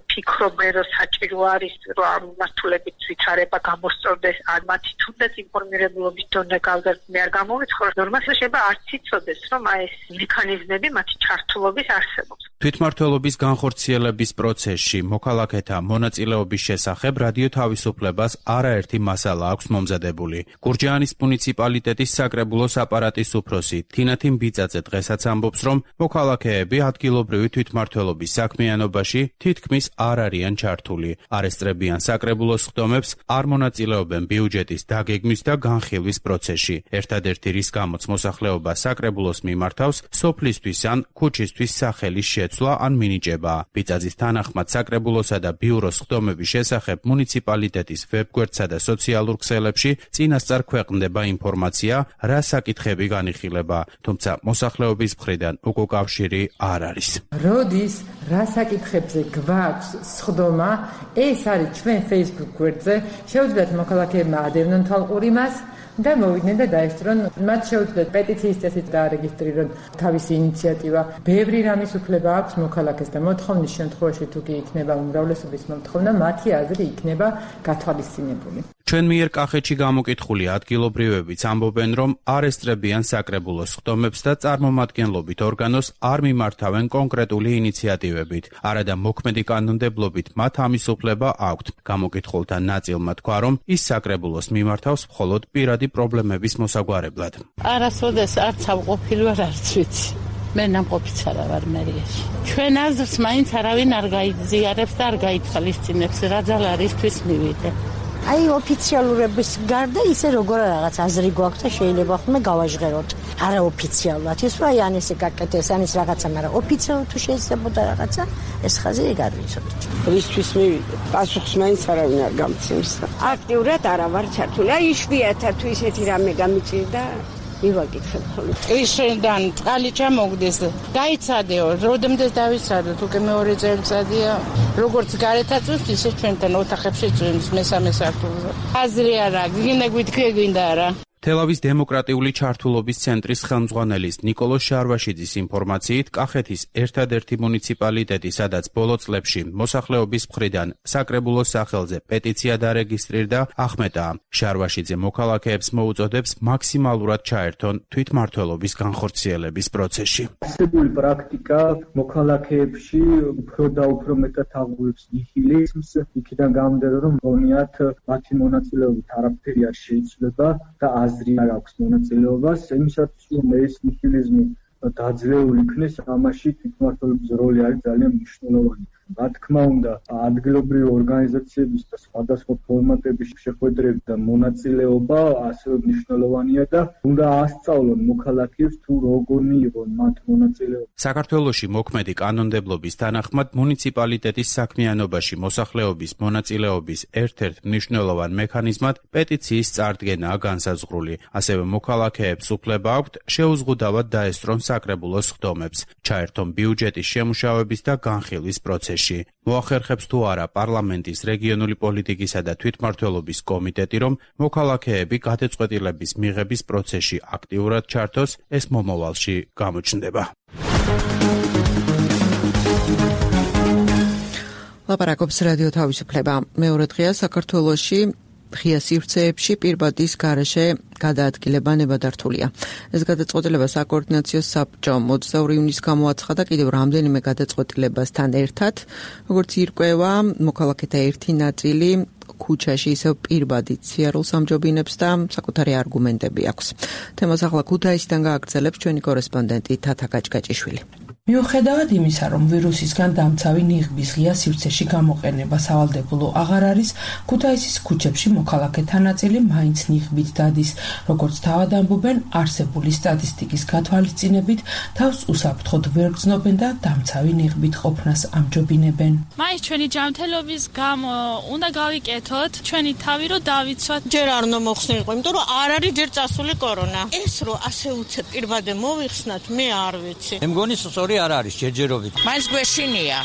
ფიქრობენ, რომ საჭირო არის, რომ ამ მართულებით ვითარება გამოსწორდეს, ან მათი თუნდაც ინფორმირებულობის დონე გავზარდნე არ გამოვიცხოროს, ნორმალურად შეიძლება არც იცოდეს, რომ ეს მექანიზმები მათი ჩართულობის არსებობს. თვითმმართველობის განხორციელების პროცესში მოქალაქეთა მონაწილეობის შესახებ რადიო თავისუფლებას არაერთი მასალა აქვს მომზადებული. გურჯაანის მუნიციპალიტეტის საკრებულოს აპარატის უფროსი თინათინ ბიწაძე დღესაც ამბობს, რომ მოქალაქეები ადგილობრივი თვითმმართველობის საქმიანობაში თითქმის არ არიან ჩართული. არ ესწრებიან საკრებულოს ხდომებს, არ მონაწილეობენ ბიუჯეტის დაგეგმვის და განხილვის პროცესში. ერთადერთი რის გამოც მოსახლეობა საკრებულოს მიმართავს, სოფლისთვის ან ქუჩისთვის სახელის შეცვლა ან მინიჭება. ბიწაძის თანახმად საკრებულოსა და ბიუროს ხდომების შესახებ მუნიციპალიტეტის ვებგვერდსა და სოციალურ ქსელებში წინასწარ ქვეყნდება ინფორმაცია, რა საკითხები განიხილება, თუმცა მოსახლეობის მხრიდან უკავშირი არ არის. როდის რა საკითხებზე გვაქვს სხდომა, ეს არის ჩვენ Facebook გვერდზე, შეუძლიათ მოქალაქეებმა ადევნონ თვალყური მას და მოვიდნენ და დაესწრონ, მათ შეუძლიათ პეტიციის წესით დაარეგისტრირონ თავისი ინიციატივა. ბევრი რამის უფლება აქვს მოქალაქეს და მოთხოვნის შემთხვევაში თუ კი იქნება უმრავლესობის მოთხოვნა, მათი აზრი იქნება გათვალისწინებული. ჩვენ მიერ კახეთში გამოკითხული ადგილობრივებიც ამბობენ, რომ არ ესწრებიან საკრებულოს ხდომებს და წარმომადგენლობით ორგანოს არ მიმართავენ კონკრეტული ინიციატივებით. არადა მოქმედი კანონმდებლობით მათ ამის უფლება აქვთ. გამოკითხულთა ნაწილმა თქვა, რომ ის საკრებულოს მიმართავს მხოლოდ პირადი პრობლემების მოსაგვარებლად. არასოდეს არც ავყოფილი ვარ, არც ვიცი. მე ნამყოფიც არა ვარ მერიაში. ჩვენ აზრს მაინც არავინ არ გაიზიარებს და არ გაითვალისწინებს, რა ძალა არისთვის მივიდე. აი ოფიციალურების გარდა ისე როგორ რაღაც აზრი გვაქვს და შეიძლება ხოლმე გავაჟღეროთ. არა ოფიციალურად ის რა ან ესე გაკეთეს, ან ის რაღაცა, მაგრამ ოფიციალურად თუ შეიძლებოდა რაღაცა, ეს ხაზი ეგ არ ვიცოდი. რისთვის მივიდე? პასუხს მაინც არავინ არ გამცემს. აქტიურად არა ვარ ჩართული. აი იშვიათად თუ ისეთი რამე გამიწირდა მივაკითხებ ხოლმე. ისედან წყალი ჩამოგდეს. დაიცადეო, როდემდეს დავიცადოთ, უკვე მეორე წელიწადია. როგორც გარეთ აწვევს, ისე ჩვენთან ოთახებში წვიმს მესამე სართულზე. აზრი არა, გინდა გვითქვი, გინდა არა. თელავის დემოკრატიული ჩართულობის ცენტრის ხელმძღვანელის ნიკოლოს შარვაშიძის ინფორმაციით, კახეთის ერთადერთი მუნიციპალიტეტი, სადაც ბოლო წლებში მოსახლეობის მხრიდან საკრებულოს სახელზე პეტიცია დარეგისტრირდა, ახმეტაა. შარვაშიძე მოქალაქეებს მოუწოდებს მაქსიმალურად ჩაერთონ თვითმმართველობის განხორციელების პროცესში. არსებული პრაქტიკა მოქალაქეებში უფრო და უფრო მეტად აღუევს ნიჰილიზმს, იქიდან გამომდინარე, რომ გონიათ მათი მონაწილეობით არაფერი არ შეიცვლება და აზრი არ აქვს მონაწილეობას, იმისათვის რომ ეს ნიჰილიზმი დაძლეული იქნეს, ამაში თვითმმართველობის როლი არის ძალიან მნიშვნელოვანი. რა თქმა უნდა, ადგილობრივი ორგანიზაციების და სხვადასხვა ფორმატების შეხვედრები და მონაწილეობა ასევე მნიშვნელოვანია და უნდა ასწავლონ მოქალაქეებს თუ როგორ მიიღონ მათ მონაწილეობა. საქართველოში მოქმედი კანონმდებლობის თანახმად მუნიციპალიტეტის საქმიანობაში მოსახლეობის მონაწილეობის ერთ-ერთ მნიშვნელოვან მექანიზმად პეტიციის წარდგენაა განსაზღვრული. ასევე მოქალაქეებს უფლება აქვთ შეუზღუდავად დაესწრონ საკრებულოს ხდომებს, ჩაერთონ ბიუჯეტის შემუშავების და განხილვის პროცესში. პროცესში. მოახერხებს თუ არა პარლამენტის რეგიონული პოლიტიკისა და თვითმმართველობის კომიტეტი, რომ მოქალაქეები გადაწყვეტილების მიღების პროცესში აქტიურად ჩართოს, ეს მომავალში გამოჩნდება. ლაპარაკობს რადიო თავისუფლება. მეორე დღეა საქართველოში ღია სივრცეებში პირბადის გარეშე გადაადგილება ნებადართულია. ეს გადაწყვეტილება საკოორდინაციო საბჭომ 22 ივნისს გამოაცხადა კიდევ რამდენიმე გადაწყვეტილებასთან ერთად, როგორც ირკვევა, მოქალაქეთა ერთი ნაწილი ქუჩაში ისევ პირბადით სიარულს ამჯობინებს და საკუთარი არგუმენტები აქვს. თემას ახლა ქუთაისიდან გააგრძელებს ჩვენი კორესპონდენტი თათა გაჭგაჭიშვილი. მიუხედავად იმისა, რომ ვირუსისგან დამცავი ნიღბის ღია სივრცეში გამოყენება სავალდებულო აღარ არის, ქუთაისის ქუჩებში მოქალაქეთა ნაწილი მაინც ნიღბით დადის. როგორც თავად ამბობენ, არსებული სტატისტიკის გათვალისწინებით თავს უსაფრთხოდ ვერ გრძნობენ და დამცავი ნიღბით ყოფნას ამჯობინებენ. მაინც ჩვენი ჯანმრთელობის გამო უნდა გავიკეთოთ ჩვენი თავი, რომ დავიცვათ. ჯერ არ უნდა მოხსნილიყო, იმიტომ რომ არ არის ჯერ წასული კორონა. ეს რომ ასე უცებ პირბადე მოვიხსნათ, მე არ ვიცი. მე მგონი სწორი არ არის ჯერჯერობით. მაინც გვეშინია.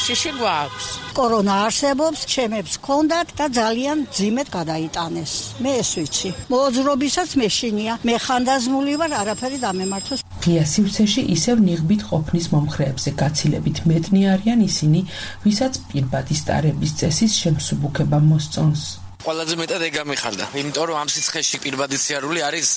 შიში გვაქვს. კორონა არსებობს, ჩემებს ჰქონდათ და ძალიან ძიმედ გადაიტანეს. მე ეს ვიცი. მოძრობისაც მეშინია. მე ხანდაზმული ვარ, არაფერი დამემართოს. ღია სივრცეში ისევ ნიღბით ყოფნის მომხრეებზე გაცილებით მეტნი არიან ისინი, ვისაც პირბადის ტარების წესის შემსუბუქება მოსწონს. ყველაზე მეტად ეგ გამიხარდა, იმიტომ რომ ამ სიცხეში პირბადი სიარული არის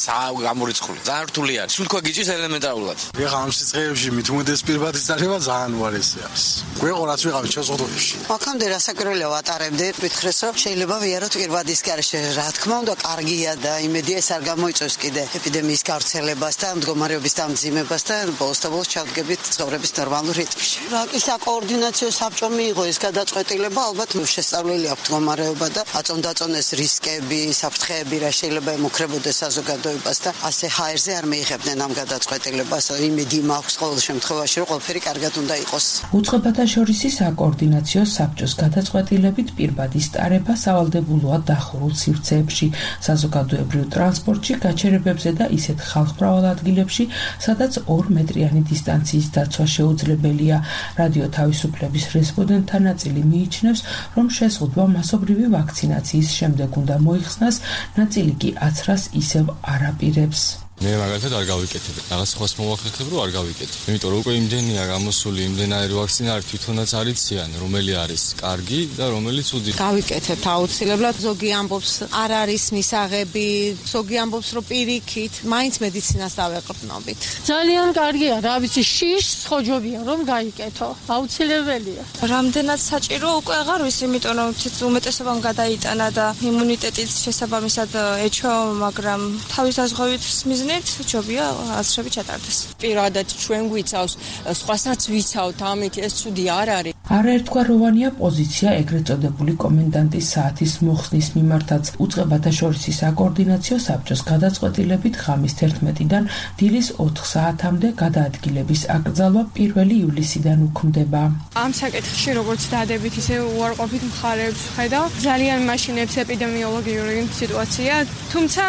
გამორიცხული. ძალიან რთული არის. სულ თქვა გიჭირს ელემენტარულად. ეხლა ამ სიცხეებში მით უმეტეს პირბადის დარება ძალიან უარესი არის. გვეყო რაც ვიყავით შეზღუდვებში. აქამდე რასაკვირველია ვატარებდი, მითხრეს რომ შეიძლება ვიაროთ პირბადის გარეშე. რა თქმა უნდა, კარგია და იმედია ეს არ გამოიწვევს კიდე ეპიდემიის გავრცელებას და მდგომარეობის დამძიმებას და ბოლოს ჩავდგებით ცხოვრების ნორმალურ რიტმში. ვაკის საკოორდინაციო საბჭომ მიიღო ეს გადაწყვეტილება, ალბათ შესწავლილი აქვს მდგომარეობა და აწონდაწონეს რისკები, საფრთხეები რა შეიძლება ემუქრებოდეს საზოგადოებას და ასე ჰაერზე არ მიიღებდნენ ამ გადაწყვეტილებას. იმედი მაქვს ყოველ შემთხვევაში, რომ ყველაფერი კარგად უნდა იყოს. უწყებათა შორის საკოორდინაციო საბჭოს გადაწყვეტილებით პირბადის ტარება სავალდებულოა დახურულ სივრცეებში, საზოგადოებრივ ტრანსპორტში, გაჩერებებზე და ისეთ ხალხმრავალ ადგილებში, სადაც 2 მეტრიანი დისტანციის დაცვა შეუძლებელია. რადიო თავისუფლების რესპონდენტთა ნაწილი მიიჩნევს, რომ შეზღუდვა მასობრივი ვაქცინაციის შემდეგ უნდა მოიხსნას, ნაწილი კი აცრას ისევ არ აპირებს. მე მაგალითად არ გავიკეთებ. რაღაც ხოს მოვახერხებ, რომ არ გავიკეთებ. იმიტომ რომ უკვე იმდენია გამოსული, იმდენარი ვაქცინა არის, თვითონაც არიციან, რომელი არის კარგი და რომელი ცუდი. გავიკეთებთ აუცილებლად. ზოგი ამბობს, არ არის მისაღები, ზოგი ამბობს, რომ პირიქით, მაინც მედიცინას დავეყრდნობით. ძალიან კარგია, რა ვიცი, შიშს ხოჯობია რომ გაიკეთო. აუცილებელია. რამდენად საჭირო უკვე აღარ ვიცი, იმიტომ რომ უმეტესობამ გადაიტანა და იმუნიტეტიც შესაბამისად ეჩო, მაგრამ თავის დაზღვევით ჯობია აცრები ჩატარდეს. პირადად ჩვენ გვიცავს, სხვასაც ვიცავთ, ამით ეს ცუდი არ არის. არაერთგვაროვანია პოზიცია ეგრეთ წოდებული კომენდანტის საათის მოხსნის მიმართაც. უწყებათა შორის საკოორდინაციო საბჭოს გადაწყვეტილებით ღამის 11-დან დილის 4 საათამდე გადაადგილების აკრძალვა 1 ივლისიდან უქმდება. ამ საკითხში როგორც დადებით, ისე უარყოფით მხარეებს ხედავ. ძალიან მაშინებს ეპიდემიოლოგიური სიტუაცია, თუმცა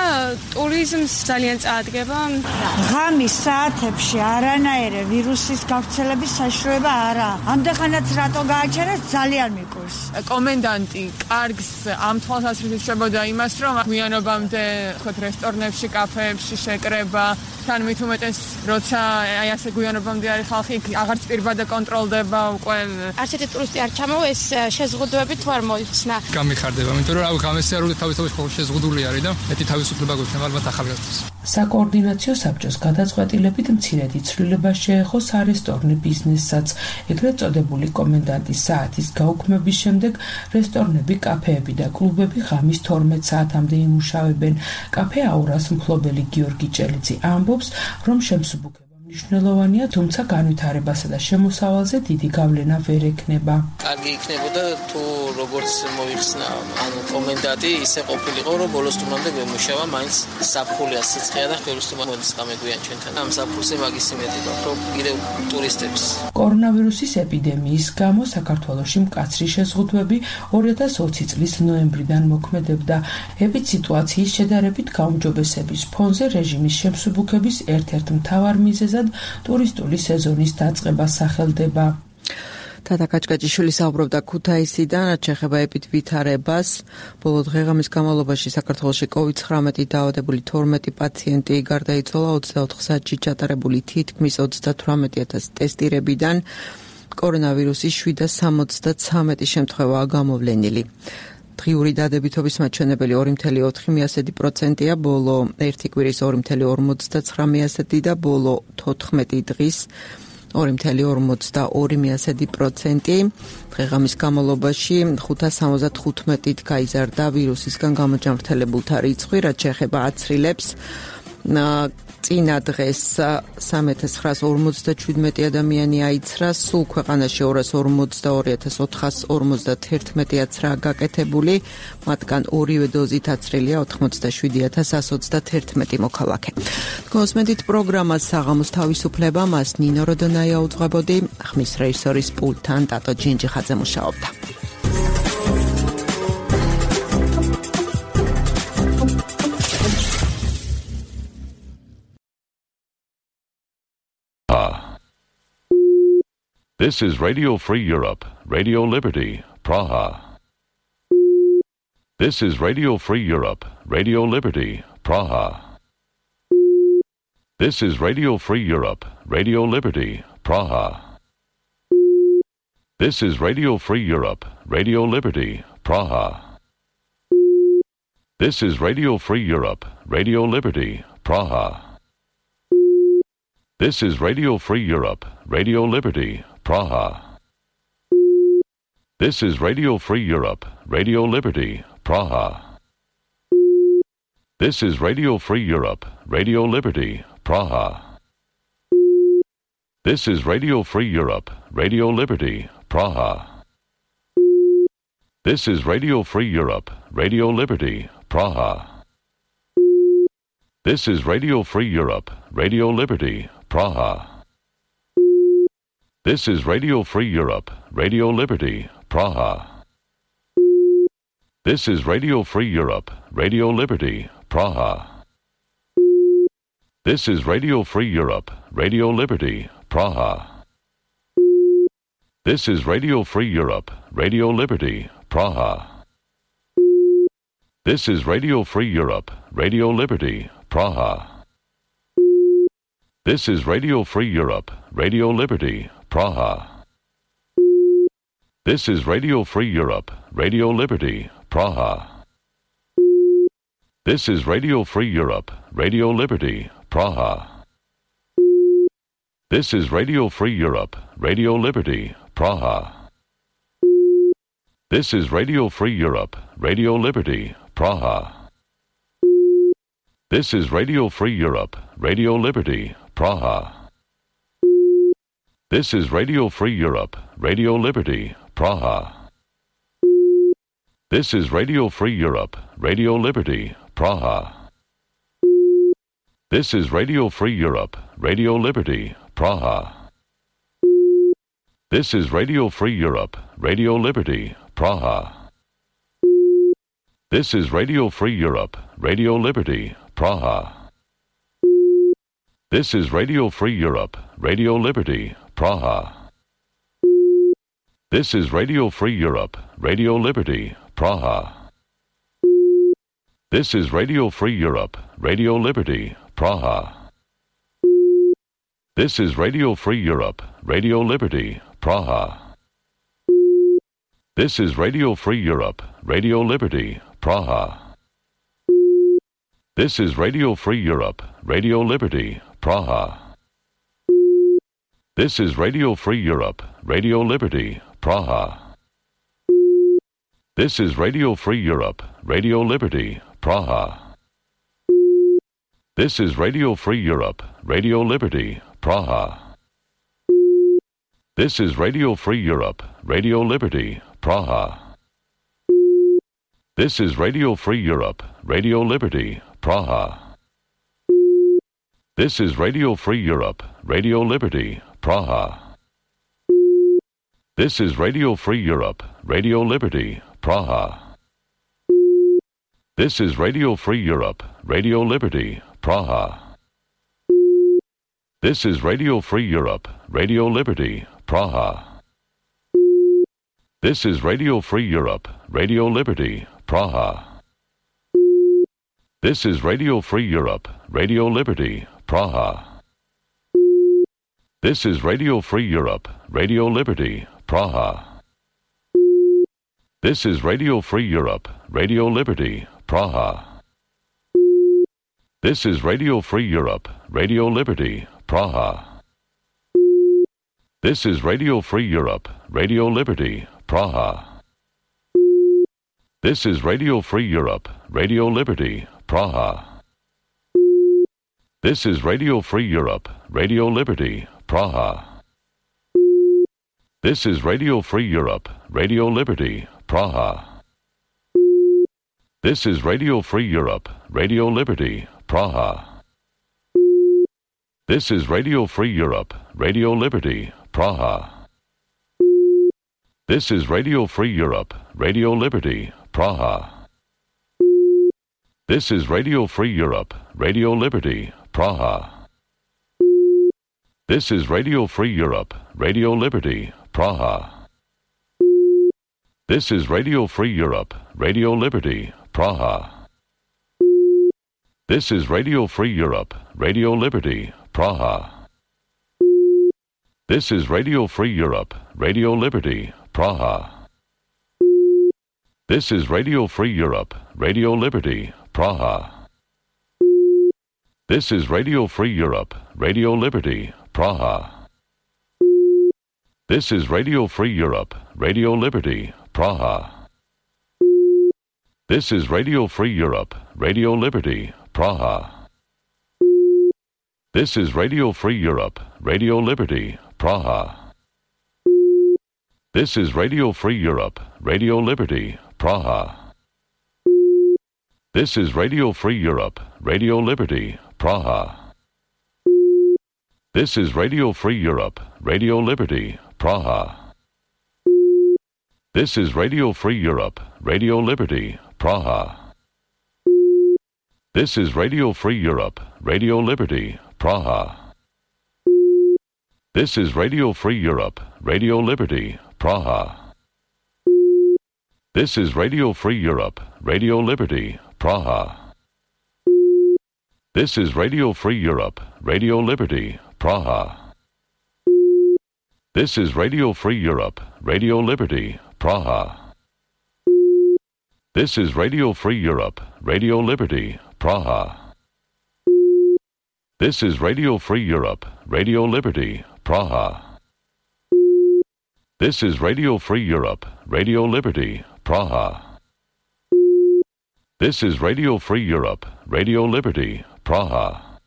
ტურიზმს ძალიან წაადგება. ღამის საათებში არანაირი ვირუსის გავრცელების საშუალება არა. ამდენხანაც რატო გააჩერეს ძალიან მიკურს. კომენდანტი კარგს ამ თვალსაზრისით შვებოდა იმას, რომ გვიანობამდე ხოთ რესტორნებში, კაფეებში შეკრება, თან მით უმეტეს როცა აი ასე გვიანობამდე არის ხალხი, აღარც პირბადე კონტროლდება უკვე. არც ერთი ტურისტი არ ჩამოვა, ეს შეზღუდვები თუ არ მოიხსნა. გამიხარდება, იმიტომ რომ გამესიარული თავისთავად შეზღუდული არის და მეტი თავისუფლება გვექნება ალბათ ახალგაზრდებს. საკოორდინაციო საბჭოს გადაწყვეტილებით მცირედი ცვლილება შეეხო სარესტორნე ბიზნესსაც. ეგრეთ წოდებული კომენდანტის საათის გაუქმების შემდეგ რესტორნები, კაფეები და კლუბები ღამის 12 საათამდე იმუშავებენ. კაფე აურას მფლობელი გიორგი ჭელიძე ამბობს, რომ შემსუბუქება მნიშვნელოვანია, თუმცა განვითარებასა და შემოსავალზე დიდი გავლენა ვერ ექნება. კარგი იქნებოდა თუ როგორც მოიხსნა კომენდანტი ისე ყოფილიყო, რომ ბოლოს თუნამდე გვემუშავა, მაინც საფხულია სიცხეა და ხელოსნობა მოდის გამეგვიან ჩვენთან. ამ საფხულზე მაგის იმედი გვაქვს, რომ კიდევ ტურისტებს. კორონავირუსის ეპიდემიის გამო საქართველოში მკაცრი შეზღუდვები 2020 წლის ნოემბრიდან მოქმედებდა. ეპიდსიტუაციის შედარებით გაუმჯობესების ფონზე რეჟიმის შემსუბუქების ერთ-ერთ მთავარ მიზეზად ტურისტული სეზონის დაწყება სახელდება. თათა კაჭკაჭიშვილი საუბრობდა ქუთაისიდან, რაც შეეხება ეპიდ ვითარებას. ბოლო დღეღამის განმავლობაში საქართველოში COVID-19 დაავადებული 12 პაციენტი გარდაიცვალა 24 საათში ჩატარებული თითქმის 38,000 ტესტირებიდან. კორონავირუსის 773 შემთხვევაა გამოვლენილი. დღიური დადებითობის მაჩვენებელი 2,4%-ია, ბოლო 1 კვირის 2,59% და ბოლო 14 დღის 2,42%. დღეღამის განმავლობაში 575-ით გაიზარდა ვირუსისგან გამოჯანმრთელებულთა რიცხვი, რაც შეეხება აცრილებს. წინა დღეს 3,957 ადამიანი აიცრა, სულ ქვეყანაში 242,451 აცრაა გაკეთებული, მათგან ორივე დოზით აცრილია 87,121 მოქალაქე. გოსმედით პროგრამას საღამოს თავისუფლება, მას ნინო როდონაია უძღვებოდი, ხმის რეჟისორის პულტთან ტატო ჯინჯიხაძე მუშაობდა. This is Radio Free Europe, Radio Liberty, Praha. This is Radio Free Europe, Radio Liberty, Praha. This is Radio Free Europe, Radio Liberty, Praha. This is Radio Free Europe, Radio Liberty, Praha. This is Radio Free Europe, Radio Liberty, Praha. This is Radio Free Europe, Radio Liberty, Praha. This is Radio Free Europe, Radio Liberty, Praha. This is Radio Free Europe, Radio Liberty, Praha. This is Radio Free Europe, Radio Liberty, Praha. This is Radio Free Europe, Radio Liberty, Praha. This is Radio Free Europe, Radio Liberty, Praha. This is Radio Free Europe, Radio Liberty, Praha. This is Radio Free Europe, Radio Liberty, Praha. This is Radio Free Europe, Radio Liberty, Praha. This is Radio Free Europe, Radio Liberty, Praha. This is Radio Free Europe, Radio Liberty, Praha. This is Radio Free Europe, Radio Liberty, Praha. This is Radio Free Europe, Radio Liberty, Praha. This is Radio Free Europe, Radio Liberty, Praha. This is Radio Free Europe, Radio Liberty, Praha. This is Radio Free Europe, Radio Liberty, Praha. This is Radio Free Europe, Radio Liberty, Praha. This is Radio Free Europe, Radio Liberty, Praha. This is Radio Free Europe, Radio Liberty, Praha. This is Radio Free Europe, Radio Liberty, Praha. This is Radio Free Europe, Radio Liberty, Praha. This is Radio Free Europe, Radio Liberty, Praha. This is Radio Free Europe, Radio Liberty, Praha. This is Radio Free Europe, Radio Liberty, Praha. This is Radio Free Europe, Radio Liberty, Praha. This is Radio Free Europe, Radio Liberty, Praha. This is Radio Free Europe, Radio Liberty, Praha. This is Radio Free Europe, Radio Liberty, Praha. This is Radio Free Europe, Radio Liberty, Praha. This is Radio Free Europe, Radio Liberty, Praha. This is Radio Free Europe, Radio Liberty, Praha. This is Radio Free Europe, Radio Liberty, Praha. This is Radio Free Europe, Radio Liberty, Praha. This is Radio Free Europe, Radio Liberty, Praha. This is Radio Free Europe, Radio Liberty, Praha. This is Radio Free Europe, Radio Liberty, Praha. This is Radio Free Europe, Radio Liberty, Praha. This is Radio Free Europe, Radio Liberty, Praha. This is Radio Free Europe, Radio Liberty, Praha. This is Radio Free Europe, Radio Liberty, Praha. This is Radio Free Europe, Radio Liberty, Praha. This is Radio Free Europe, Radio Liberty, Praha. This is Radio Free Europe, Radio Liberty, Praha. This is Radio Free Europe, Radio Liberty, Praha. This is Radio Free Europe, Radio Liberty, Praha. This is Radio Free Europe, Radio Liberty, Praha. This is Radio Free Europe, Radio Liberty, Praha. This is Radio Free Europe, Radio Liberty, Praha. This is Radio Free Europe, Radio Liberty, Praha. This is Radio Free Europe, Radio Liberty, Praha. This is Radio Free Europe, Radio Liberty, Praha. This is Radio Free Europe, Radio Liberty, Praha. This is Radio Free Europe, Radio Liberty, Praha. This is Radio Free Europe, Radio Liberty, Praha. This is Radio Free Europe, Radio Liberty, Praha. This is Radio Free Europe, Radio Liberty, Praha. This is Radio Free Europe, Radio Liberty, Praha. This is Radio Free Europe, Radio Liberty, Praha. This is Radio Free Europe, Radio Liberty, Praha. This is Radio Free Europe, Radio Liberty, Praha. This is Radio Free Europe, Radio Liberty, Praha. This is Radio Free Europe, Radio Liberty, Praha. This is Radio Free Europe, Radio Liberty, Praha. This is Radio Free Europe, Radio Liberty, Praha. This is Radio Free Europe, Radio Liberty, Praha. This is Radio Free Europe, Radio Liberty, Praha. This is Radio Free Europe, Radio Liberty, Praha. This is Radio Free Europe, Radio Liberty, Praha. This is Radio Free Europe, Radio Liberty, Praha. This is Radio Free Europe, Radio Liberty, Praha. This is Radio Free Europe, Radio Liberty, Praha. This is Radio Free Europe, Radio Liberty, Praha.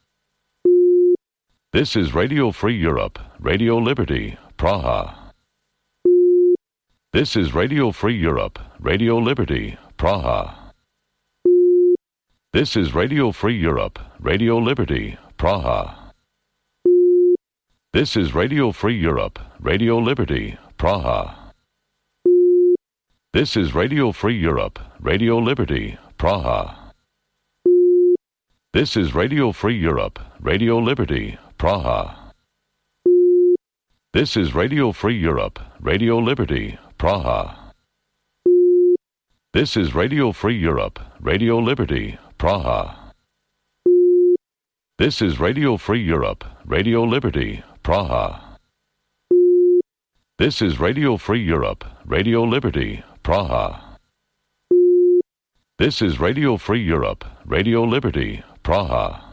This is Radio Free Europe, Radio Liberty, Praha. This is Radio Free Europe, Radio Liberty, Praha. This is Radio Free Europe, Radio Liberty, Praha. This is Radio Free Europe, Radio Liberty, Praha. This is Radio Free Europe, Radio Liberty, Praha. This is Radio Free Europe, Radio Liberty, Praha. This is Radio Free Europe, Radio Liberty, Praha. This is Radio Free Europe, Radio Liberty, Praha. This is Radio Free Europe, Radio Liberty, Praha. This is Radio Free Europe, Radio Liberty, Praha. This is Radio Free Europe, Radio Liberty, Praha.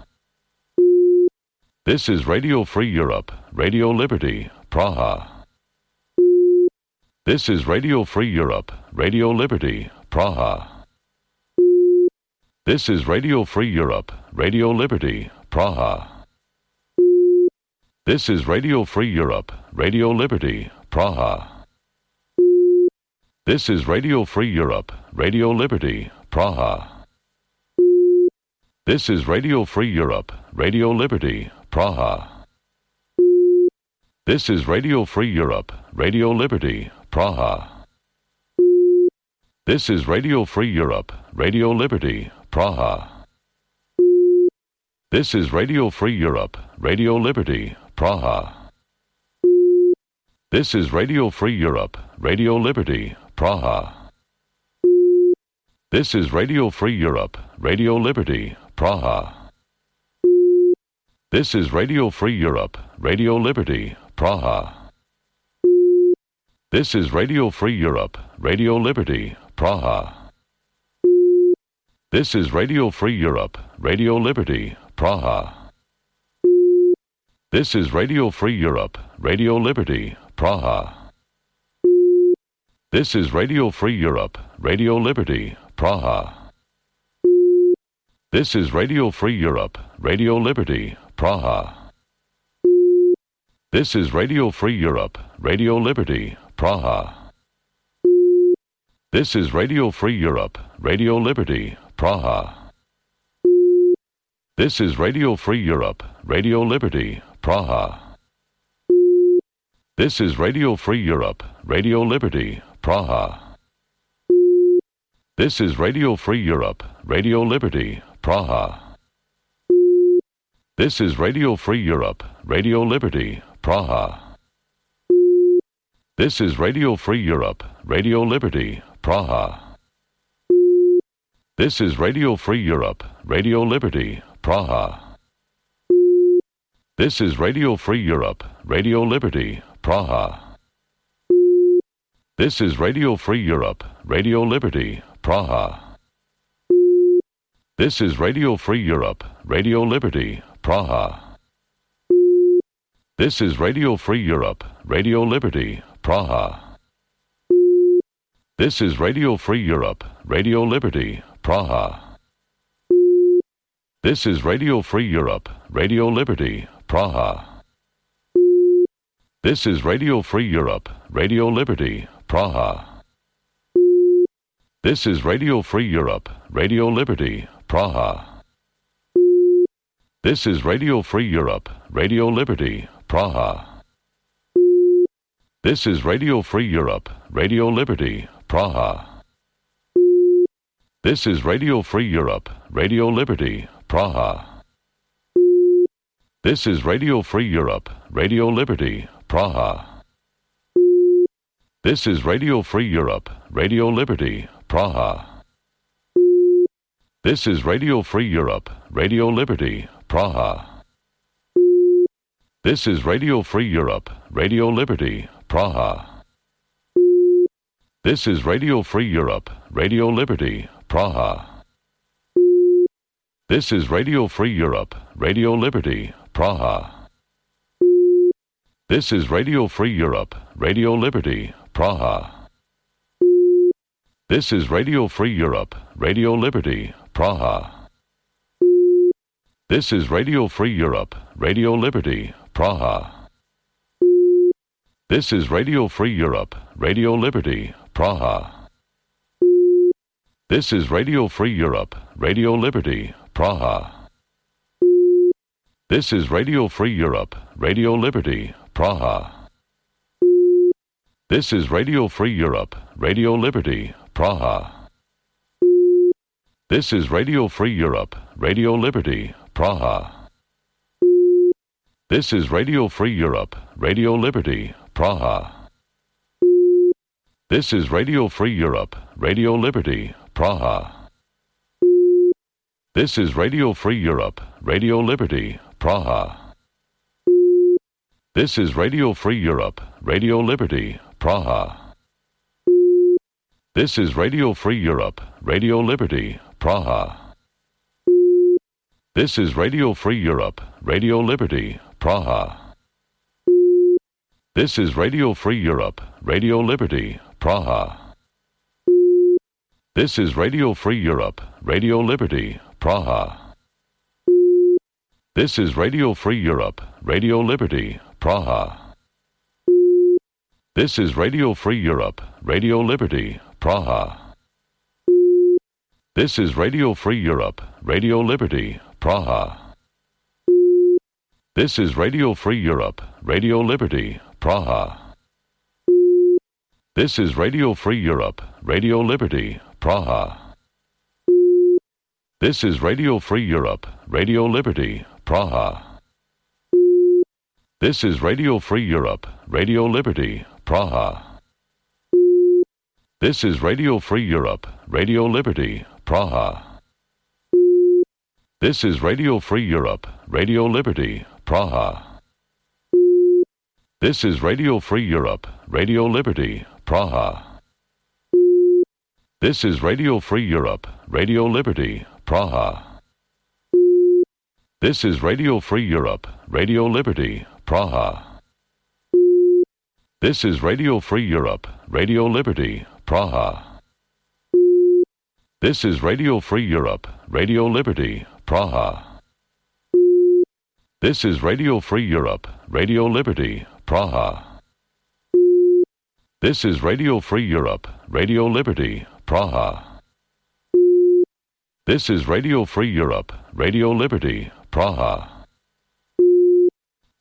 This is Radio Free Europe, Radio Liberty, Praha. This is Radio Free Europe, Radio Liberty, Praha. This is Radio Free Europe, Radio Liberty, Praha. This is Radio Free Europe, Radio Liberty, Praha. This is Radio Free Europe, Radio Liberty, Praha. This is Radio Free Europe, Radio Liberty, Praha. This is Radio Free Europe, Radio Liberty, Praha. This is Radio Free Europe, Radio Liberty, Praha. This is Radio Free Europe, Radio Liberty, Praha. This is Radio Free Europe, Radio Liberty, Praha. This is Radio Free Europe, Radio Liberty, Praha. This is Radio Free Europe, Radio Liberty, Praha. This is Radio Free Europe, Radio Liberty, Praha. This is Radio Free Europe, Radio Liberty, Praha. This is Radio Free Europe, Radio Liberty, Praha. This is Radio Free Europe, Radio Liberty, Praha. This is Radio Free Europe, Radio Liberty, Praha. This is Radio Free Europe, Radio Liberty, Praha. This is Radio Free Europe, Radio Liberty, Praha. This is Radio Free Europe, Radio Liberty, Praha. This is Radio Free Europe, Radio Liberty, Praha. This is Radio Free Europe, Radio Liberty, Praha. This is Radio Free Europe, Radio Liberty, Praha. This is Radio Free Europe, Radio Liberty, Praha. This is Radio Free Europe, Radio Liberty, Praha. This is Radio Free Europe, Radio Liberty, Praha. This is Radio Free Europe, Radio Liberty, Praha. This is Radio Free Europe, Radio Liberty, Praha. This is Radio Free Europe, Radio Liberty, Praha. This is Radio Free Europe, Radio Liberty, Praha. This is Radio Free Europe, Radio Liberty, Praha. This is Radio Free Europe, Radio Liberty, Praha. This is Radio Free Europe, Radio Liberty, Praha. This is Radio Free Europe, Radio Liberty, Praha. This is Radio Free Europe, Radio Liberty, Praha. This is Radio Free Europe, Radio Liberty, Praha. This is Radio Free Europe, Radio Liberty, Praha. This is Radio Free Europe, Radio Liberty, Praha. This is Radio Free Europe, Radio Liberty, Praha. This is Radio Free Europe, Radio Liberty, Praha. This is Radio Free Europe, Radio Liberty, Praha. This is Radio Free Europe, Radio Liberty, Praha. This is Radio Free Europe, Radio Liberty, Praha. This is Radio Free Europe, Radio Liberty, Praha. This is Radio Free Europe, Radio Liberty, Praha. This is Radio Free Europe, Radio Liberty, Praha. This is Radio Free Europe, Radio Liberty, Praha. This is Radio Free Europe, Radio Liberty, Praha. This is Radio Free Europe, Radio Liberty, Praha. This is Radio Free Europe, Radio Liberty, Praha. This is Radio Free Europe, Radio Liberty, Praha. This is Radio Free Europe, Radio Liberty, Praha. This is Radio Free Europe, Radio Liberty, Praha. This is Radio Free Europe, Radio Liberty, Praha. This is Radio Free Europe, Radio Liberty, Praha. This is Radio Free Europe, Radio Liberty, Praha. This is Radio Free Europe, Radio Liberty, Praha. This is Radio Free Europe, Radio Liberty, Praha. This is Radio Free Europe, Radio Liberty, Praha. This is Radio Free Europe, Radio Liberty, Praha. This is Radio Free Europe, Radio Liberty, Praha. This is Radio Free Europe, Radio Liberty, Praha. This is Radio Free Europe, Radio Liberty, Praha. This is Radio Free Europe, Radio Liberty, Praha. This is Radio Free Europe, Radio Liberty, Praha. This is Radio Free Europe, Radio Liberty, Praha. This is Radio Free Europe, Radio Liberty, Praha. This is Radio Free Europe, Radio Liberty, Praha. This is Radio Free Europe, Radio Liberty, Praha. This is Radio Free Europe, Radio Liberty, Praha. This is Radio Free Europe, Radio Liberty, Praha. This is Radio Free Europe, Radio Liberty, Praha. This is Radio Free Europe, Radio Liberty, Praha. This is Radio Free Europe, Radio Liberty, Praha. This is Radio Free Europe, Radio Liberty, Praha.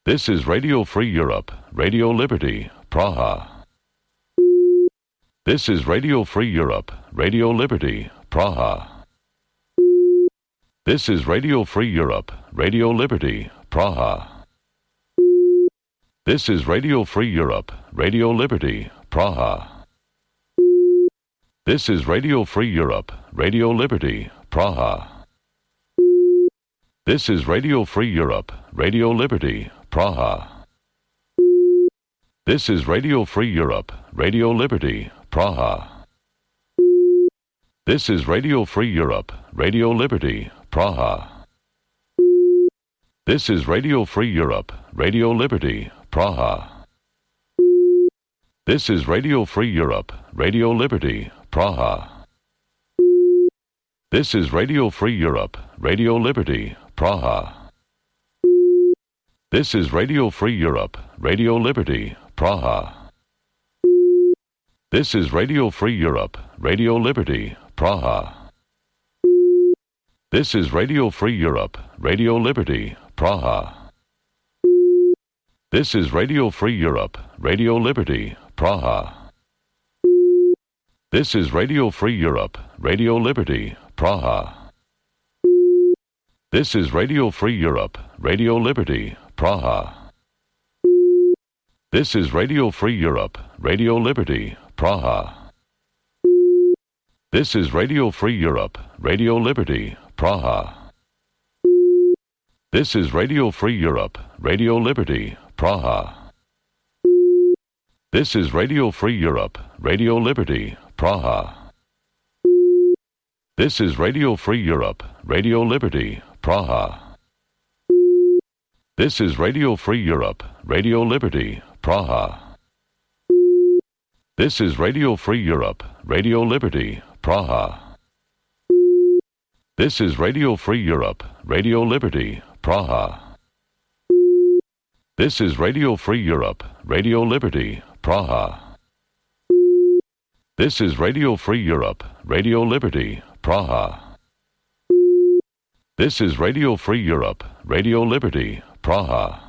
This is Radio Free Europe, Radio Liberty, Praha. This is Radio Free Europe, Radio Liberty, Praha. This is Radio Free Europe, Radio Liberty, Praha. This is Radio Free Europe, Radio Liberty, Praha. This is Radio Free Europe, Radio Liberty, Praha. This is Radio Free Europe, Radio Liberty, Praha. This is Radio Free Europe, Radio Liberty, Praha. This is Radio Free Europe, Radio Liberty, Praha. This is Radio Free Europe, Radio Liberty, Praha. This is Radio Free Europe, Radio Liberty, Praha. This is Radio Free Europe, Radio Liberty, Praha. This is Radio Free Europe, Radio Liberty, Praha. This is Radio Free Europe, Radio Liberty, Praha. This is Radio Free Europe, Radio Liberty, Praha. This is Radio Free Europe, Radio Liberty, Praha. This is Radio Free Europe, Radio Liberty, Praha. This is Radio Free Europe, Radio Liberty, Praha. This is Radio Free Europe, Radio Liberty, Praha. This is Radio Free Europe, Radio Liberty, Praha. This is Radio Free Europe, Radio Liberty, Praha. This is Radio Free Europe, Radio Liberty, Praha. This is Radio Free Europe, Radio Liberty, Praha. This is Radio Free Europe, Radio Liberty, Praha. This is Radio Free Europe, Radio Liberty, Praha. This is Radio Free Europe, Radio Liberty, Praha. This is Radio Free Europe, Radio Liberty, Praha. This is Radio Free Europe, Radio Liberty, Praha. This is Radio Free Europe, Radio Liberty, Praha.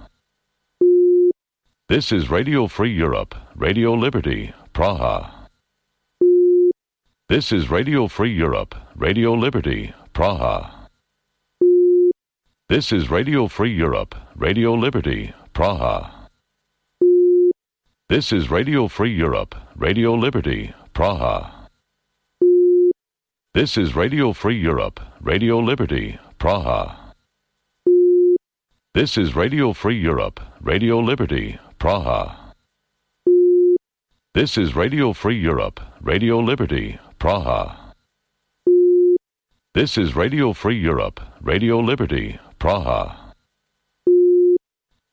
This is Radio Free Europe, Radio Liberty, Praha. This is Radio Free Europe, Radio Liberty, Praha. This is Radio Free Europe, Radio Liberty, Praha. This is Radio Free Europe, Radio Liberty, Praha. This is Radio Free Europe, Radio Liberty, Praha. This is Radio Free Europe, Radio Liberty, Praha. This is Radio Free Europe, Radio Liberty, Praha. This is Radio Free Europe, Radio Liberty, Praha.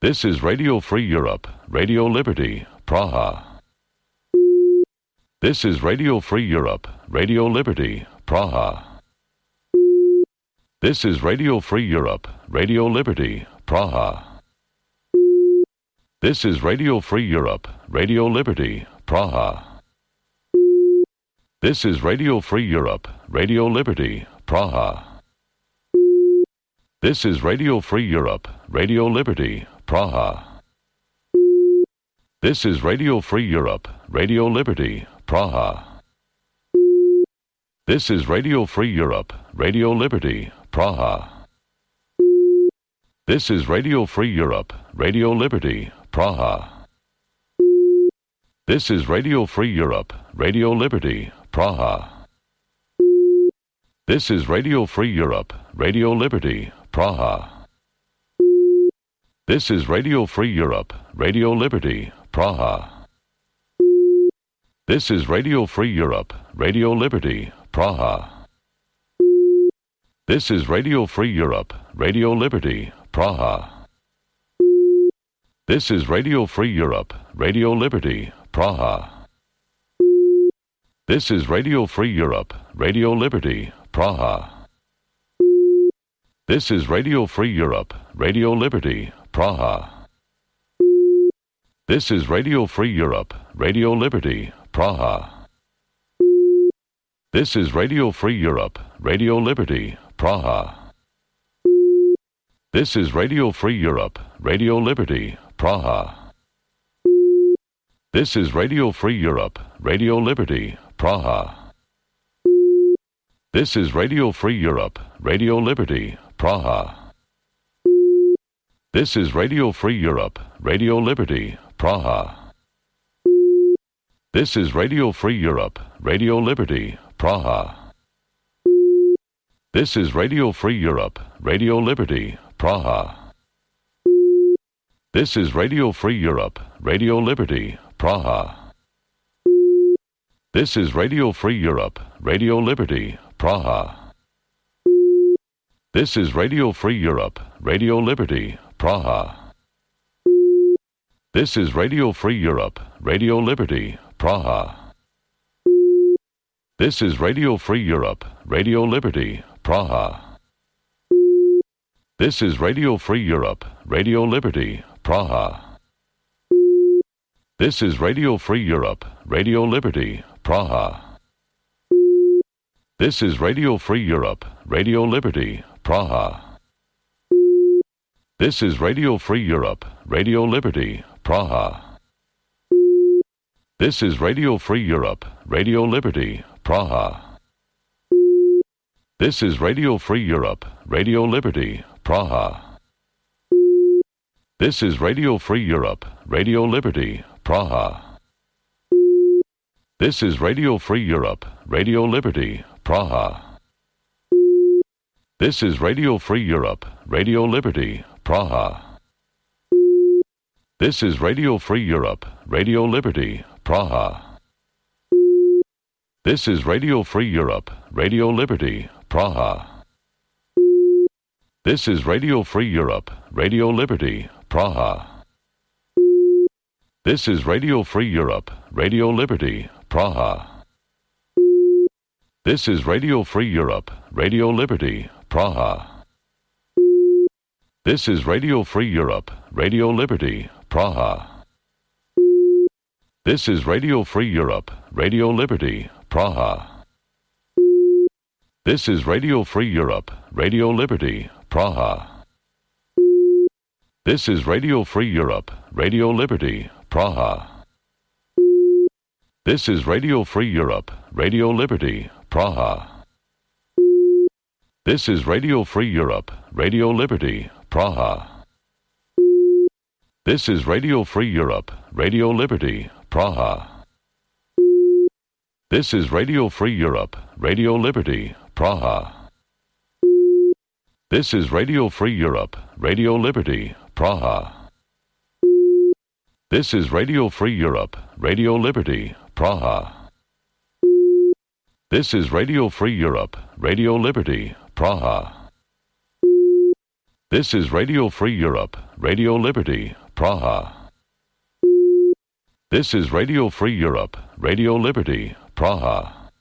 This is Radio Free Europe, Radio Liberty, Praha. This is Radio Free Europe, Radio Liberty, Praha. This is Radio Free Europe, Radio Liberty, Praha. This is Radio Free Europe, Radio Liberty, Praha. This is Radio Free Europe, Radio Liberty, Praha. This is Radio Free Europe, Radio Liberty, Praha. This is Radio Free Europe, Radio Liberty, Praha. This is Radio Free Europe, Radio Liberty, Praha. This is Radio Free Europe, Radio Liberty, Praha. This is Radio Free Europe, Radio Liberty, Praha. This is Radio Free Europe, Radio Liberty, Praha. This is Radio Free Europe, Radio Liberty, Praha. This is Radio Free Europe, Radio Liberty, Praha. This is Radio Free Europe, Radio Liberty, Praha. This is Radio Free Europe, Radio Liberty, Praha. This is Radio Free Europe, Radio Liberty, Praha. This is Radio Free Europe, Radio Liberty, Praha. This is Radio Free Europe, Radio Liberty, Praha. This is Radio Free Europe, Radio Liberty, Praha. This is Radio Free Europe, Radio Liberty, Praha. This is Radio Free Europe, Radio Liberty, Praha. This is Radio Free Europe, Radio Liberty, Praha. This is Radio Free Europe, Radio Liberty, Praha. This is Radio Free Europe, Radio Liberty, Praha. This is Radio Free Europe, Radio Liberty, Praha. This is Radio Free Europe, Radio Liberty, Praha. This is Radio Free Europe, Radio Liberty, Praha. This is Radio Free Europe, Radio Liberty, Praha. This is Radio Free Europe, Radio Liberty, Praha. This is Radio Free Europe, Radio Liberty, Praha. This is Radio Free Europe, Radio Liberty, Praha. This is Radio Free Europe, Radio Liberty, Praha. This is Radio Free Europe, Radio Liberty, Praha. This is Radio Free Europe, Radio Liberty, Praha. This is Radio Free Europe, Radio Liberty, Praha. This is Radio Free Europe, Radio Liberty, Praha. This is Radio Free Europe, Radio Liberty, Praha. This is Radio Free Europe, Radio Liberty, Praha. This is Radio Free Europe, Radio Liberty, Praha. This is Radio Free Europe, Radio Liberty, Praha. This is Radio Free Europe, Radio Liberty, Praha. This is Radio Free Europe, Radio Liberty, Praha. This is Radio Free Europe, Radio Liberty, Praha. This is Radio Free Europe, Radio Liberty, Praha. This is Radio Free Europe, Radio Liberty, Praha. This is Radio Free Europe, Radio Liberty, Praha. This is Radio Free Europe, Radio Liberty, Praha. This is Radio Free Europe, Radio Liberty, Praha. This is Radio Free Europe, Radio Liberty, Praha. This is Radio Free Europe, Radio Liberty, Praha. This is Radio Free Europe, Radio Liberty, Praha. This is Radio Free Europe, Radio Liberty, Praha. This is Radio Free Europe, Radio Liberty, Praha. This is Radio Free Europe, Radio Liberty, Praha. This is Radio Free Europe, Radio Liberty, Praha. This is Radio Free Europe, Radio Liberty, Praha. This is Radio Free Europe, Radio Liberty, Praha.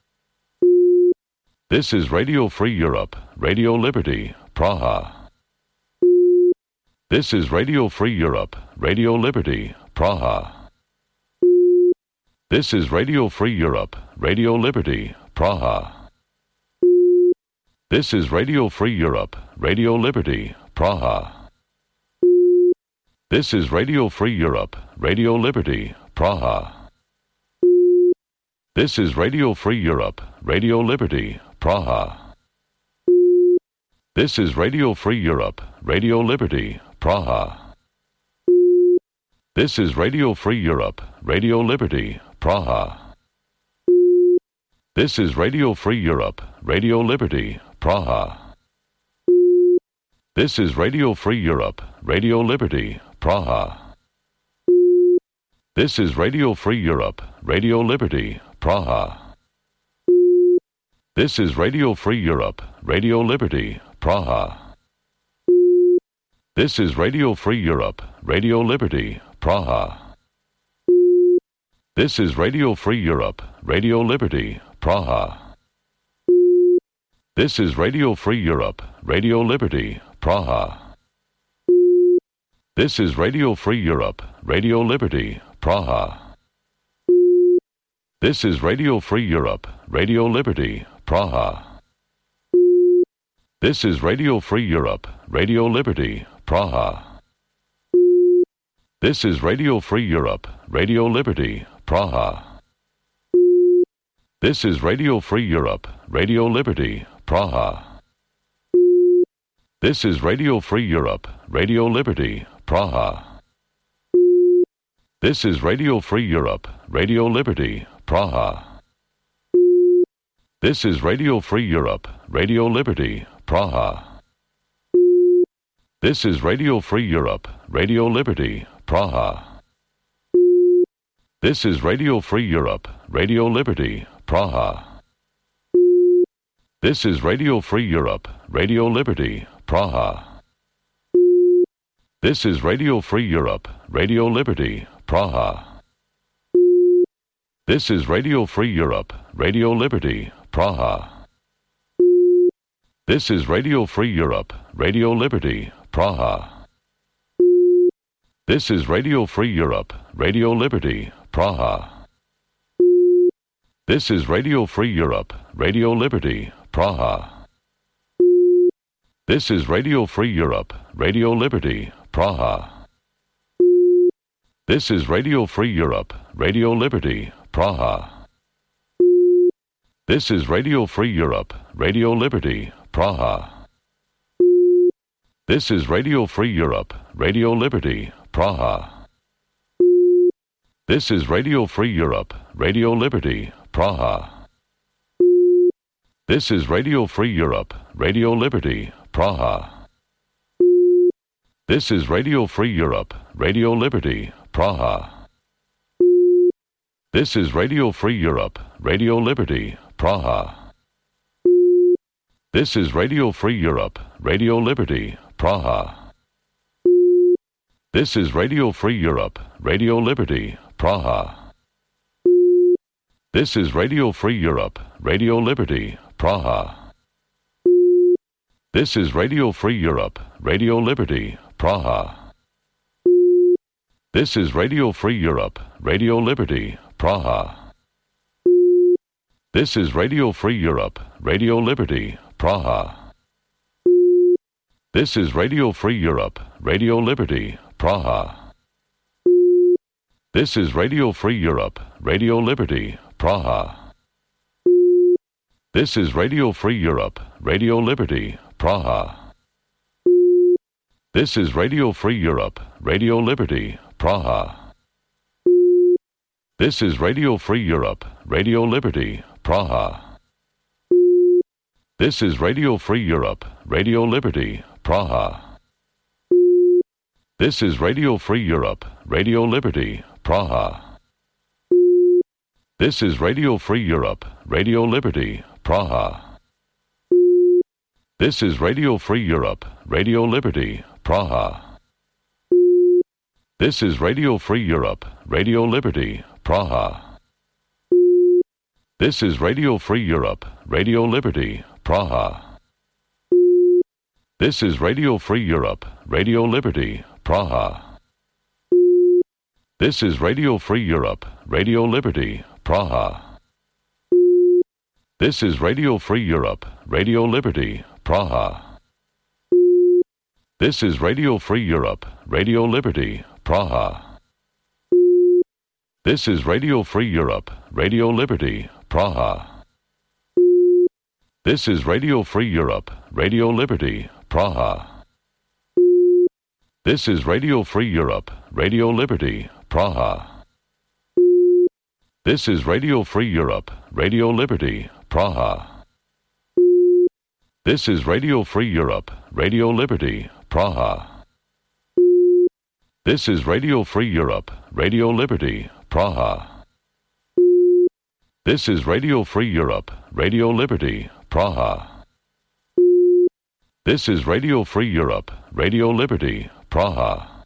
This is Radio Free Europe, Radio Liberty, Praha. This is Radio Free Europe, Radio Liberty, Praha. This is Radio Free Europe, Radio Liberty, Praha. This is Radio Free Europe, Radio Liberty, Praha. This is Radio Free Europe, Radio Liberty, Praha. This is Radio Free Europe, Radio Liberty, Praha. This is Radio Free Europe, Radio Liberty, Praha. This is Radio Free Europe, Radio Liberty, Praha. This is Radio Free Europe, Radio Liberty, Praha. This is Radio Free Europe, Radio Liberty, Praha. This is Radio Free Europe, Radio Liberty, Praha. This is Radio Free Europe, Radio Liberty, Praha. This is Radio Free Europe, Radio Liberty, Praha. This is Radio Free Europe, Radio Liberty, Praha. This is Radio Free Europe, Radio Liberty, Praha. This is Radio Free Europe, Radio Liberty, Praha. This is Radio Free Europe, Radio Liberty, Praha. This is Radio Free Europe, Radio Liberty, Praha. This is Radio Free Europe, Radio Liberty, Praha. This is Radio Free Europe, Radio Liberty, Praha. This is Radio Free Europe, Radio Liberty, Praha. This is Radio Free Europe, Radio Liberty, Praha. This is Radio Free Europe, Radio Liberty, Praha. This is Radio Free Europe, Radio Liberty, Praha. This is Radio Free Europe, Radio Liberty, Praha. This is Radio Free Europe, Radio Liberty, Praha. This is Radio Free Europe, Radio Liberty, Praha. This is Radio Free Europe, Radio Liberty, Praha. This is Radio Free Europe, Radio Liberty, Praha. This is Radio Free Europe, Radio Liberty, Praha. This is Radio Free Europe, Radio Liberty, Praha. This is Radio Free Europe, Radio Liberty, Praha. This is Radio Free Europe, Radio Liberty, Praha. This is Radio Free Europe, Radio Liberty, Praha. This is Radio Free Europe, Radio Liberty, Praha. This is Radio Free Europe, Radio Liberty, Praha. This is Radio Free Europe, Radio Liberty, Praha. This is Radio Free Europe, Radio Liberty, Praha. This is Radio Free Europe, Radio Liberty, Praha. This is Radio Free Europe, Radio Liberty, Praha. This is Radio Free Europe, Radio Liberty, Praha. This is Radio Free Europe, Radio Liberty, Praha. This is Radio Free Europe, Radio Liberty, Praha. This is Radio Free Europe, Radio Liberty, Praha. This is Radio Free Europe, Radio Liberty, Praha. This is Radio Free Europe, Radio Liberty, Praha. This is Radio Free Europe, Radio Liberty, Praha. This is Radio Free Europe, Radio Liberty, Praha. This is Radio Free Europe, Radio Liberty, Praha. This is Radio Free Europe, Radio Liberty, Praha. This is Radio Free Europe, Radio Liberty, Praha. This is Radio Free Europe, Radio Liberty, Praha. This is Radio Free Europe, Radio Liberty, Praha. This is Radio Free Europe, Radio Liberty, Praha. This is Radio Free Europe, Radio Liberty, Praha. This is Radio Free Europe, Radio Liberty, Praha. This is Radio Free Europe, Radio Liberty, Praha. This is Radio Free Europe, Radio Liberty, Praha. This is Radio Free Europe, Radio Liberty, Praha. This is Radio Free Europe, Radio Liberty, Praha. This is Radio Free Europe, Radio Liberty, Praha. This is Radio Free Europe, Radio Liberty, Praha. This is Radio Free Europe, Radio Liberty, Praha. This is Radio Free Europe, Radio Liberty, Praha. This is Radio Free Europe, Radio Liberty, Praha. This is Radio Free Europe, Radio Liberty, Praha. This is Radio Free Europe, Radio Liberty, Praha. This is Radio Free Europe, Radio Liberty, Praha.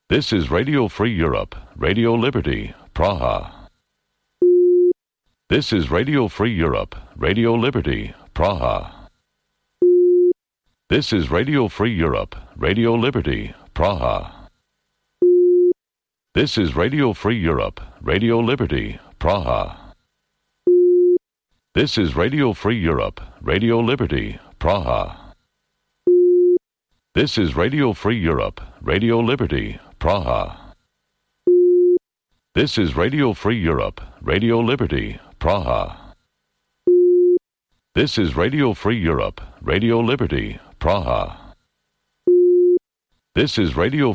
This is Radio Free Europe, Radio Liberty, Praha. This is Radio Free Europe, Radio Liberty, Praha. This is Radio Free Europe, Radio Liberty, Praha. This is Radio Free Europe, Radio Liberty, Praha. This is Radio Free Europe, Radio Liberty, Praha. This is Radio Free Europe, Radio Liberty, Praha. This is Radio Free Europe, Radio Liberty, Praha. This is Radio Free Europe, Radio Liberty, Praha. This is Radio